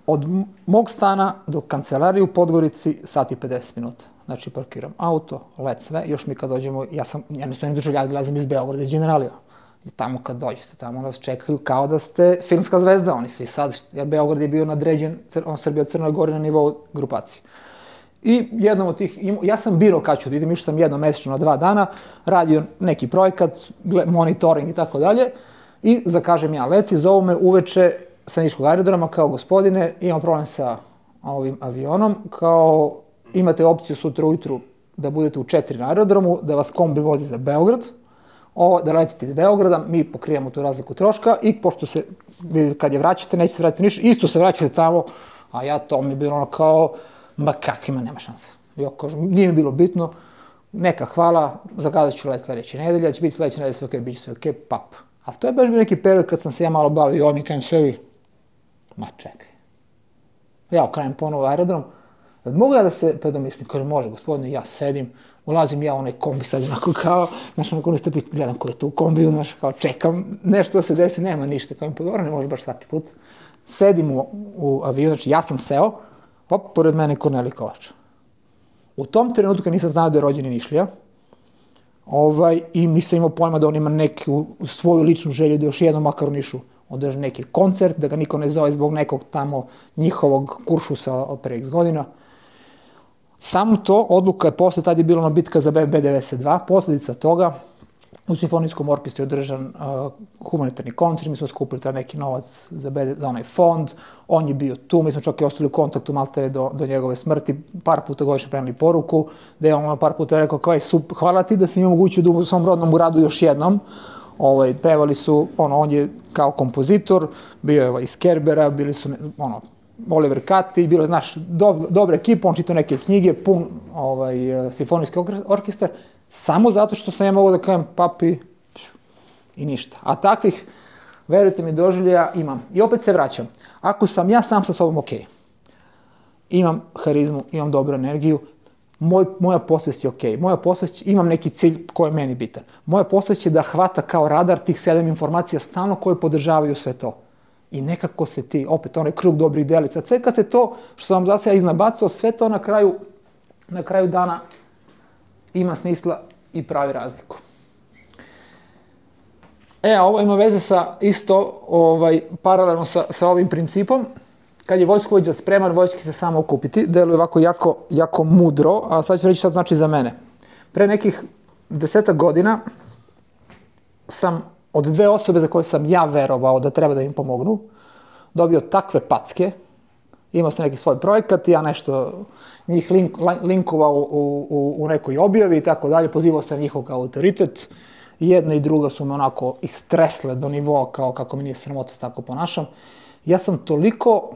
Od mog stana do kancelarije u Podgorici sat i 50 minuta. Znači parkiram auto, let sve, još mi kad dođemo, ja ne stojim državljad, gledam iz Beograda, iz Generalija. I tamo kad dođete, tamo nas čekaju kao da ste filmska zvezda, oni svi sad, jer Beograd je bio nadređen, Srbija Crnoj Gori na nivou grupacije. I jednom od tih, ja sam birao kad ću da idem, išao sam jednom mesečno na 2 dana, radio neki projekat, monitoring i tako dalje, i zakažem ja let i zovu me uveče sa Niškog aerodroma kao gospodine, imam problem sa ovim avionom, kao imate opciju sutra ujutru da budete u 4 na aerodromu, da vas kombi vozi za Beograd, da letite iz Beograda, mi pokrijemo tu razliku troška i pošto se, kad je vraćate, nećete vratiti u Niš, isto se vraćate tamo, a ja to mi je bilo ono kao, ma kakvima, nema šanse. Ja kažem, nije mi bilo bitno, neka hvala, zakazat ću let sljedeće nedelje, će biti sljedeće nedelje sve okej, bit će sve okej, pap. A to je baš bio neki period kad sam se ja malo bavio i ovo mi kajem sebi, ma čekaj. Ja okrenem ponovo aerodrom, mogu ja da se predomislim, kažem, može gospodine, ja sedim, ulazim ja u onaj kombi sad onako kao, znaš, onako ne gledam ko je tu u kombiju, znaš, kao čekam, nešto da se desi, nema ništa, kao mi podoro, ne može baš svaki put. Sedim u avion, znači ja sam seo, pored mene Kornelije Kovač. U tom trenutku nisam znao da je rođeni Nišlija i nisam imao pojma da on ima neku svoju ličnu želju da još jednom makar u Nišu održi neki koncert, da ga niko ne zove zbog nekog tamo njihovog kuršusa od pre x godina. Samo to, odluka je posle, tad je bila ona bitka za B92, posljedica toga, u simfonijskom orkestru je održan humanitarni koncert, mi smo skupili taj neki novac za onaj fond, on je bio tu, mi smo čak i ostali u kontaktu maltene do njegove smrti, par puta godišnje preneli poruku, da je on par puta rekao kao hvala ti da si mi omogućio da u svom rodnom uradu još jednom. Pevali su, on je kao kompozitor, bio je iz Kerbera, bili su, Oliver Cati, bilo je, znaš, dobra ekipa, on čitao neke knjige, pun simfonijski orkestar, samo zato što sam ja mogao da kažem papi i ništa. A takvih, verujte mi, doživljaja imam. I opet se vraćam. Ako sam ja sam sa sobom okej, imam harizmu, imam dobru energiju, moja posvest je okej. Moja posvest, imam neki cilj koji je meni bitan. Moja posvest će da hvata kao radar tih 7 informacija stalno koje podržavaju sve to. I nekako se ti, opet onaj krug dobrih delica, sve kad se to, što sam vam za sada iznabacao, sve to na kraju dana ima smisla i pravi razliku. Ovo ima veze sa isto, paralelno sa ovim principom. Kad je vojskovođa spreman, vojski se samo okupiti. Deluje ovako jako mudro, a sad ću reći šta to znači za mene. Pre nekih 10 godina sam od 2 osobe za koje sam ja verovao da treba da im pomognu, dobio takve packe, imao sam neki svoj projekat, ja nešto njih linkovao u nekoj objavi i tako dalje, pozivao sam njihov kao autoritet. Jedna i druga su me onako istresle do nivoa kao kako mi nije sramota se tako ponašam. Ja sam toliko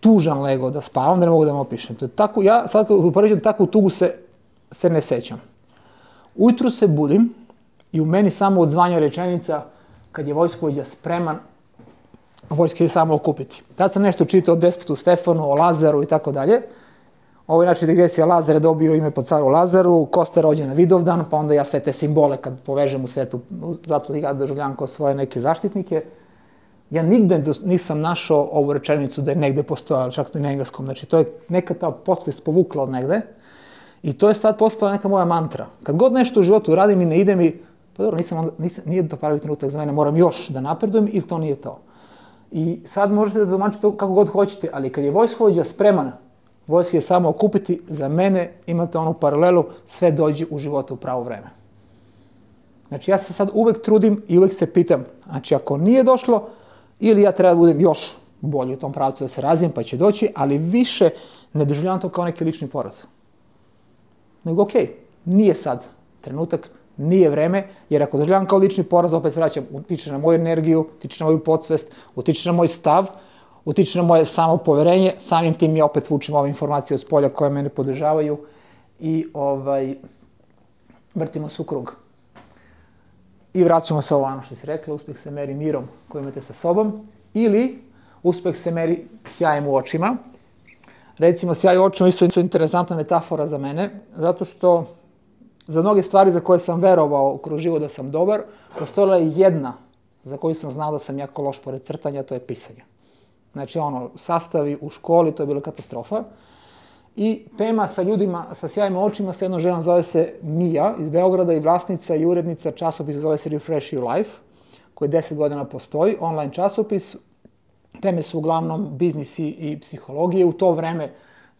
tužan legao da spavam da ne mogu da vam opišem. Ja sad kad upoređujem takvu tugu se ne sećam. Ujutru se budim i u meni samo odzvanja rečenica kad je vojskovođa spreman, vojska je samo okupiti. Tad sam nešto čitao o despotu Stefanu, o Lazaru i tako dalje. Ovo je znači digresija, Lazar je dobio ime po caru Lazaru, Kosta je rođen na Vidovdan, pa onda ja sve te simbole kad povežem u svetu, zato ja doživljavam kao svoje neke zaštitnike. Ja nigde nisam našao ovu rečenicu da je negde postojala, čak i na engleskom. Znači, to je neka ta podsvest povukla od negde i to je sad postala neka moja mantra. Kad god nešto u životu radim i ne ide mi, pa dobro, nije to pravi trenutak za mene, moram još da napredujem ili to nije to. I sad možete da domačite to kako god hoćete, ali kad je vojskovođa spreman, vojski je samo okupiti, za mene imate onu paralelu, sve dođe u životu u pravo vreme. Znači, ja se sad uvek trudim i uvek se pitam, znači, ako nije došlo, ili ja treba da budem još bolji u tom pravcu da se razvijem, pa će doći, ali više ne doživljavam to kao neki lični poraz. Nego, okej, nije sad trenutak, nije vreme, jer ako doživljavam kao lični poraz, opet se vraćam, utiče na moju energiju, utiče na moju podsvest, utiče na moj stav, utiče na moje samopoverenje, samim tim ja opet vučem ove informacije od spolja koje mene podržavaju i vrtimo se u krug. I vraćamo se ovo što si rekla, uspeh se meri mirom koji imate sa sobom ili uspeh se meri sjajem u očima. Recimo, sjaj u očima isto je interesantna metafora za mene, zato što za mnoge stvari za koje sam verovao kroz život da sam dobar, postojala je jedna za koju sam znao da sam jako loš pored crtanja, to je pisanje. Znači, sastavi u školi, to je bila katastrofa. I tema sa ljudima sa sjajnim očima sa jednom ženom zove se Mija iz Beograda i vlasnica i urednica časopisa zove se Refresh Your Life, koji 10 godina postoji, online časopis. Teme su uglavnom biznis i psihologije. U to vreme,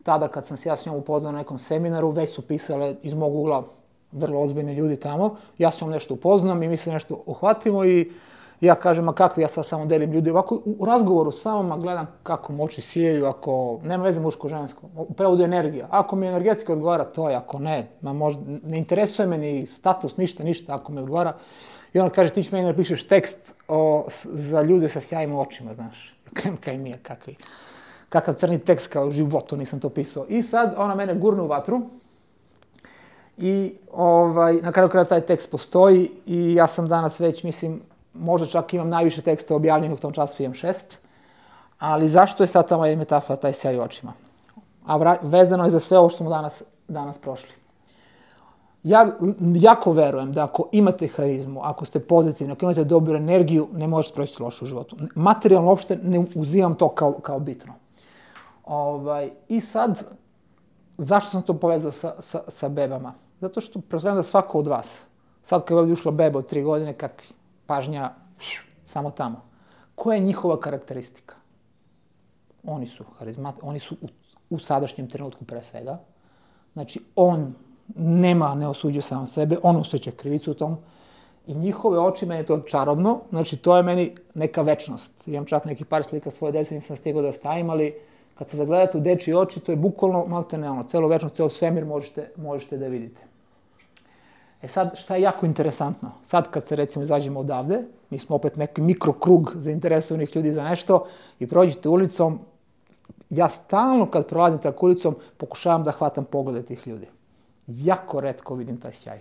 tada kad sam se ja s njom upoznao na nekom seminaru, već su pisale iz mog ugla vrlo ozbiljni ljudi tamo. Ja sam nešto upoznam i mi se nešto uhvatimo i ja kažem, a kakvi, ja sad samo delim ljudi. Ovako, u razgovoru sa vama gledam kako mu oči sijaju, ako nema veze muško-žensko, u prevodu energija. Ako mi energetski odgovara, to je, ako ne, ne interesuje me ni status, ništa, ako mi odgovara. I ona kaže, ti ćeš meni napišeš tekst za ljude sa sjajnim očima, znaš. Kaj mi je, kakav crni tekst kao u životu, nisam to pisao. I sad ona mene gurne u vatru i na kraju kraja taj tekst postoji i ja sam danas već, mislim, možda čak imam najviše teksta objavljenih u tom času, imam 6, ali zašto je sad ta moja metafora, taj sjaj u očima? A vezano je za sve ovo što smo danas prošli. Ja jako verujem da ako imate harizmu, ako ste pozitivni, ako imate dobru energiju, ne možete proći loše u životu. Materijalno uopšte ne uzimam to kao bitno. I sad, zašto sam to povezao sa bebama? Zato što pretpostavljam da svako od vas, sad kad je ovdje ušla beba od 3 godine, kakvi? Pažnja samo tamo. Koja je njihova karakteristika? Oni su harizmatični, oni su u sadašnjem trenutku pre svega. Znači, on ne osuđuje sam sebe, on osjeća krivicu u tom i njihove oči, meni je to čarobno, znači to je meni neka večnost. Imam čak neki par slika svoje dece, nisam stigao da stavim, ali kad se zagledate u dečji oči, to je bukvalno maltene ono, celo večnost, ceo svemir možete da vidite. E sad, šta je jako interesantno? Sad kad se recimo izađemo odavde, mi smo opet neki mikrokrug zainteresovanih ljudi za nešto i prođete ulicom, ja stalno kad prolazim tako ulicom pokušavam da hvatam poglede tih ljudi. Jako retko vidim taj sjaj.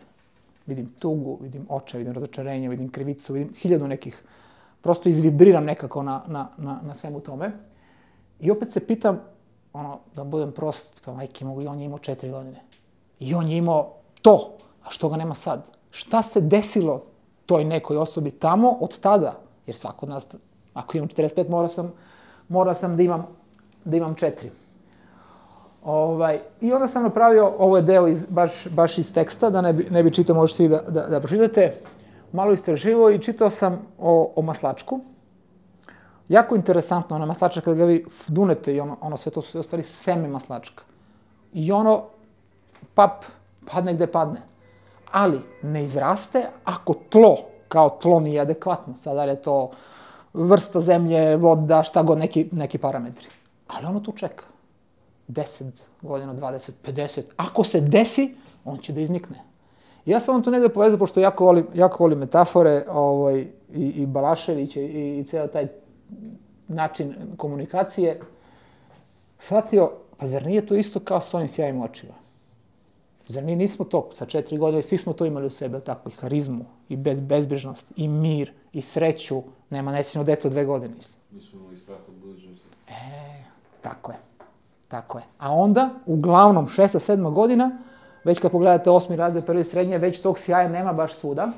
Vidim tugu, vidim očaj, vidim razočarenje, vidim krivicu, vidim 1000 nekih. Prosto izvibriram nekako na svemu tome. I opet se pitam, da budem prost, pa majke mogu, i on je imao 4 godine. I on je imao to, a što ga nema sad? Šta se desilo toj nekoj osobi tamo od tada? Jer svako od nas, ako imam 45, mora sam da imam 4. I onda sam napravio, ovo je deo baš iz teksta, da ne bi čitao, možete i da pročitate, malo istraživao i čitao sam o maslačku. Jako interesantno, ona maslačka kada ga vi dunete i ono sve to su u stvari seme maslačka. I ono, padne gde padne. Ali ne izraste ako tlo, kao tlo nije adekvatno. Sada je to vrsta zemlje, voda, šta god, neki parametri. Ali ono tu čeka. 10 godina, 20, 50. Ako se desi, on će da iznikne. Ja sam vam to negde povezao, pošto jako volim metafore i Balašević i ceo taj način komunikacije. Shvatio, pa zar nije to isto kao s ovim sjajim očima? Zar mi nismo to sa 4 godine, svi smo to imali u sebi, tako, i harizmu, i bezbrižnost, i mir, i sreću, nema nesrećno dete od 2 godine. Nismo imali strah od budućnosti. Tako je. A onda, uglavnom, 6. 7. godina, već kad pogledate 8. razred, 1. srednje, već tog sjaja nema baš svuda.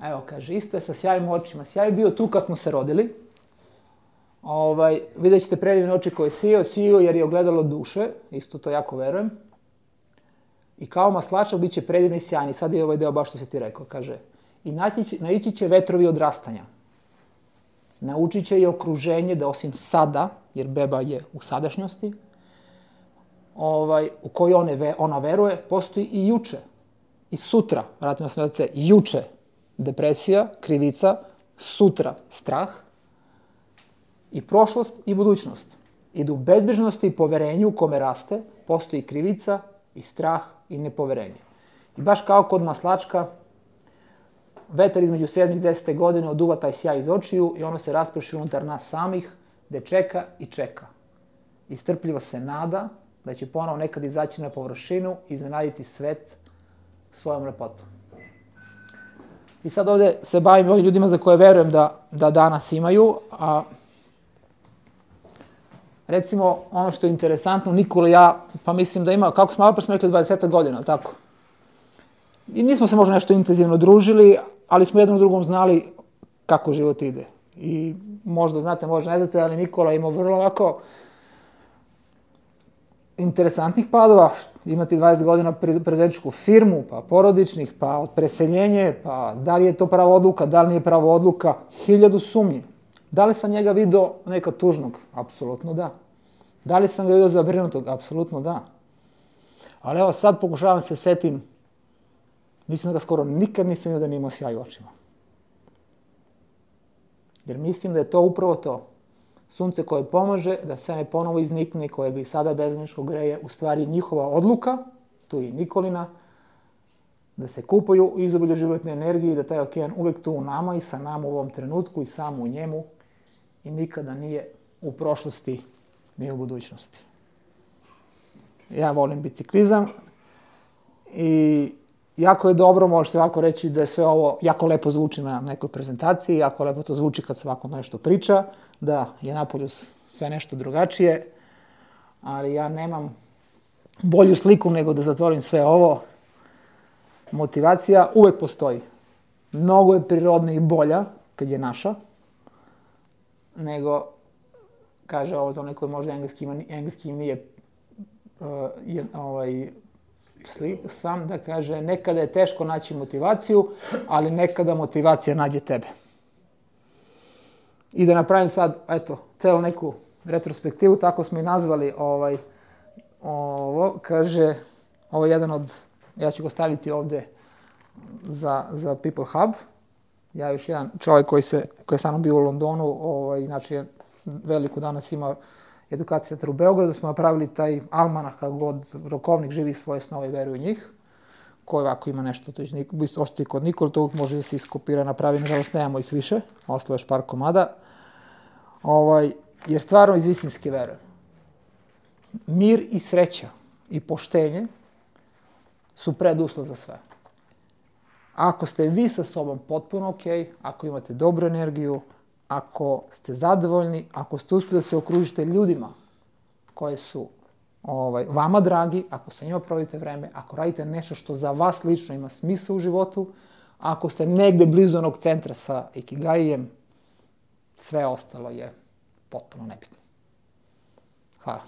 Evo, kaže, isto je sa sjajim očima. Sjaj je bio tu kad smo se rodili. Vidjet ćete predivne oči koje je sijao jer je ogledalo duše, isto to jako verujem. I kao maslačak bit će predivni i sjajni. Sad je ovaj deo baš što si ti rekao, kaže. I naići će vetrovi odrastanja. Naučit će i okruženje da osim sada, jer beba je u sadašnjosti, u kojoj ona veruje, postoji i juče. I sutra, vratimo se na C, juče depresija, krivica, sutra strah, i prošlost i budućnost. I da u bezbrižnosti i poverenju u kome raste postoji krivica i strah i nepoverenje. I baš kao kod maslačka, vetar između 7. i 10. godine oduva taj sjaj iz očiju i ono se rasprši unutar nas samih, gde čeka i čeka. I strpljivo se nada da će ponovo nekad izaći na površinu i iznenaditi svet svojom lepotom. I sad ovde se bavim ovim ljudima za koje verujem da danas imaju, a recimo, ono što je interesantno, Nikola i ja, pa mislim da ima, kako smo malo rekli, 20 godina, ali tako? I nismo se možda nešto intenzivno družili, ali smo jednom drugom znali kako život ide. I možda znate, možda ne znate, ali Nikola ima vrlo ovako interesantnih padova. Imati 20 godina preduzetničku firmu, pa porodičnih, pa od preseljenje, pa da li je to prava odluka, da li nije prava odluka, 1000 sumnji. Da li sam njega vidio nekad tužnog? Apsolutno da. Da li sam ga vidio zabrinutog? Apsolutno da. Ali evo sad pokušavam se setim, mislim da ga skoro nikad nisam vidio da nije imao sjaj u očima. Jer mislim da je to upravo to. Sunce koje pomaže da seme ponovo iznikne, koje ga i sada bezgranično greje, u stvari njihova odluka, tu i Nikolina, da se kupaju u izobilju životne energije i da taj okean uvek tu u nama i sa nama u ovom trenutku i samo u njemu i nikada nije u prošlosti ni u budućnosti. Ja volim biciklizam i jako je dobro, možete ovako reći da je sve ovo jako lepo zvuči na nekoj prezentaciji, jako lepo to zvuči kad se ovako nešto priča, da je napolju sve nešto drugačije, ali ja nemam bolju sliku nego da zatvorim sve ovo. Motivacija uvek postoji. Mnogo je prirodna i bolja, kad je naša, nego, kaže ovo za onaj koji možda engleski nije sam, da kaže, nekada je teško naći motivaciju, ali nekada motivacija nađe tebe. I da napravim sad, eto, celu neku retrospektivu, tako smo i nazvali Ovo, kaže, ovo je jedan od, ja ću ga staviti ovdje za People Hub. Ja još jedan čovjek koji je sa mnom bio u Londonu, inače veliko danas ima edukacija centar u Beogradu, smo napravili taj almanah kako god rokovnik živi svoje snove i veruje u njih, koji ovako ima nešto, to će ostati kod Nikol, to može da se iskopira, napravi, nažalost nemamo ih više, ostalo je još par komada, jer stvarno iz istinske verujem. Mir i sreća i poštenje su preduslov za sve. Ako ste vi sa sobom potpuno ok, ako imate dobru energiju, ako ste zadovoljni, ako ste uspjeli da se okružite ljudima koji su vama dragi, ako sa njima provodite vreme, ako radite nešto što za vas lično ima smisla u životu, ako ste negde blizu onog centra sa Ikigaijem, sve ostalo je potpuno nebitno. Hvala.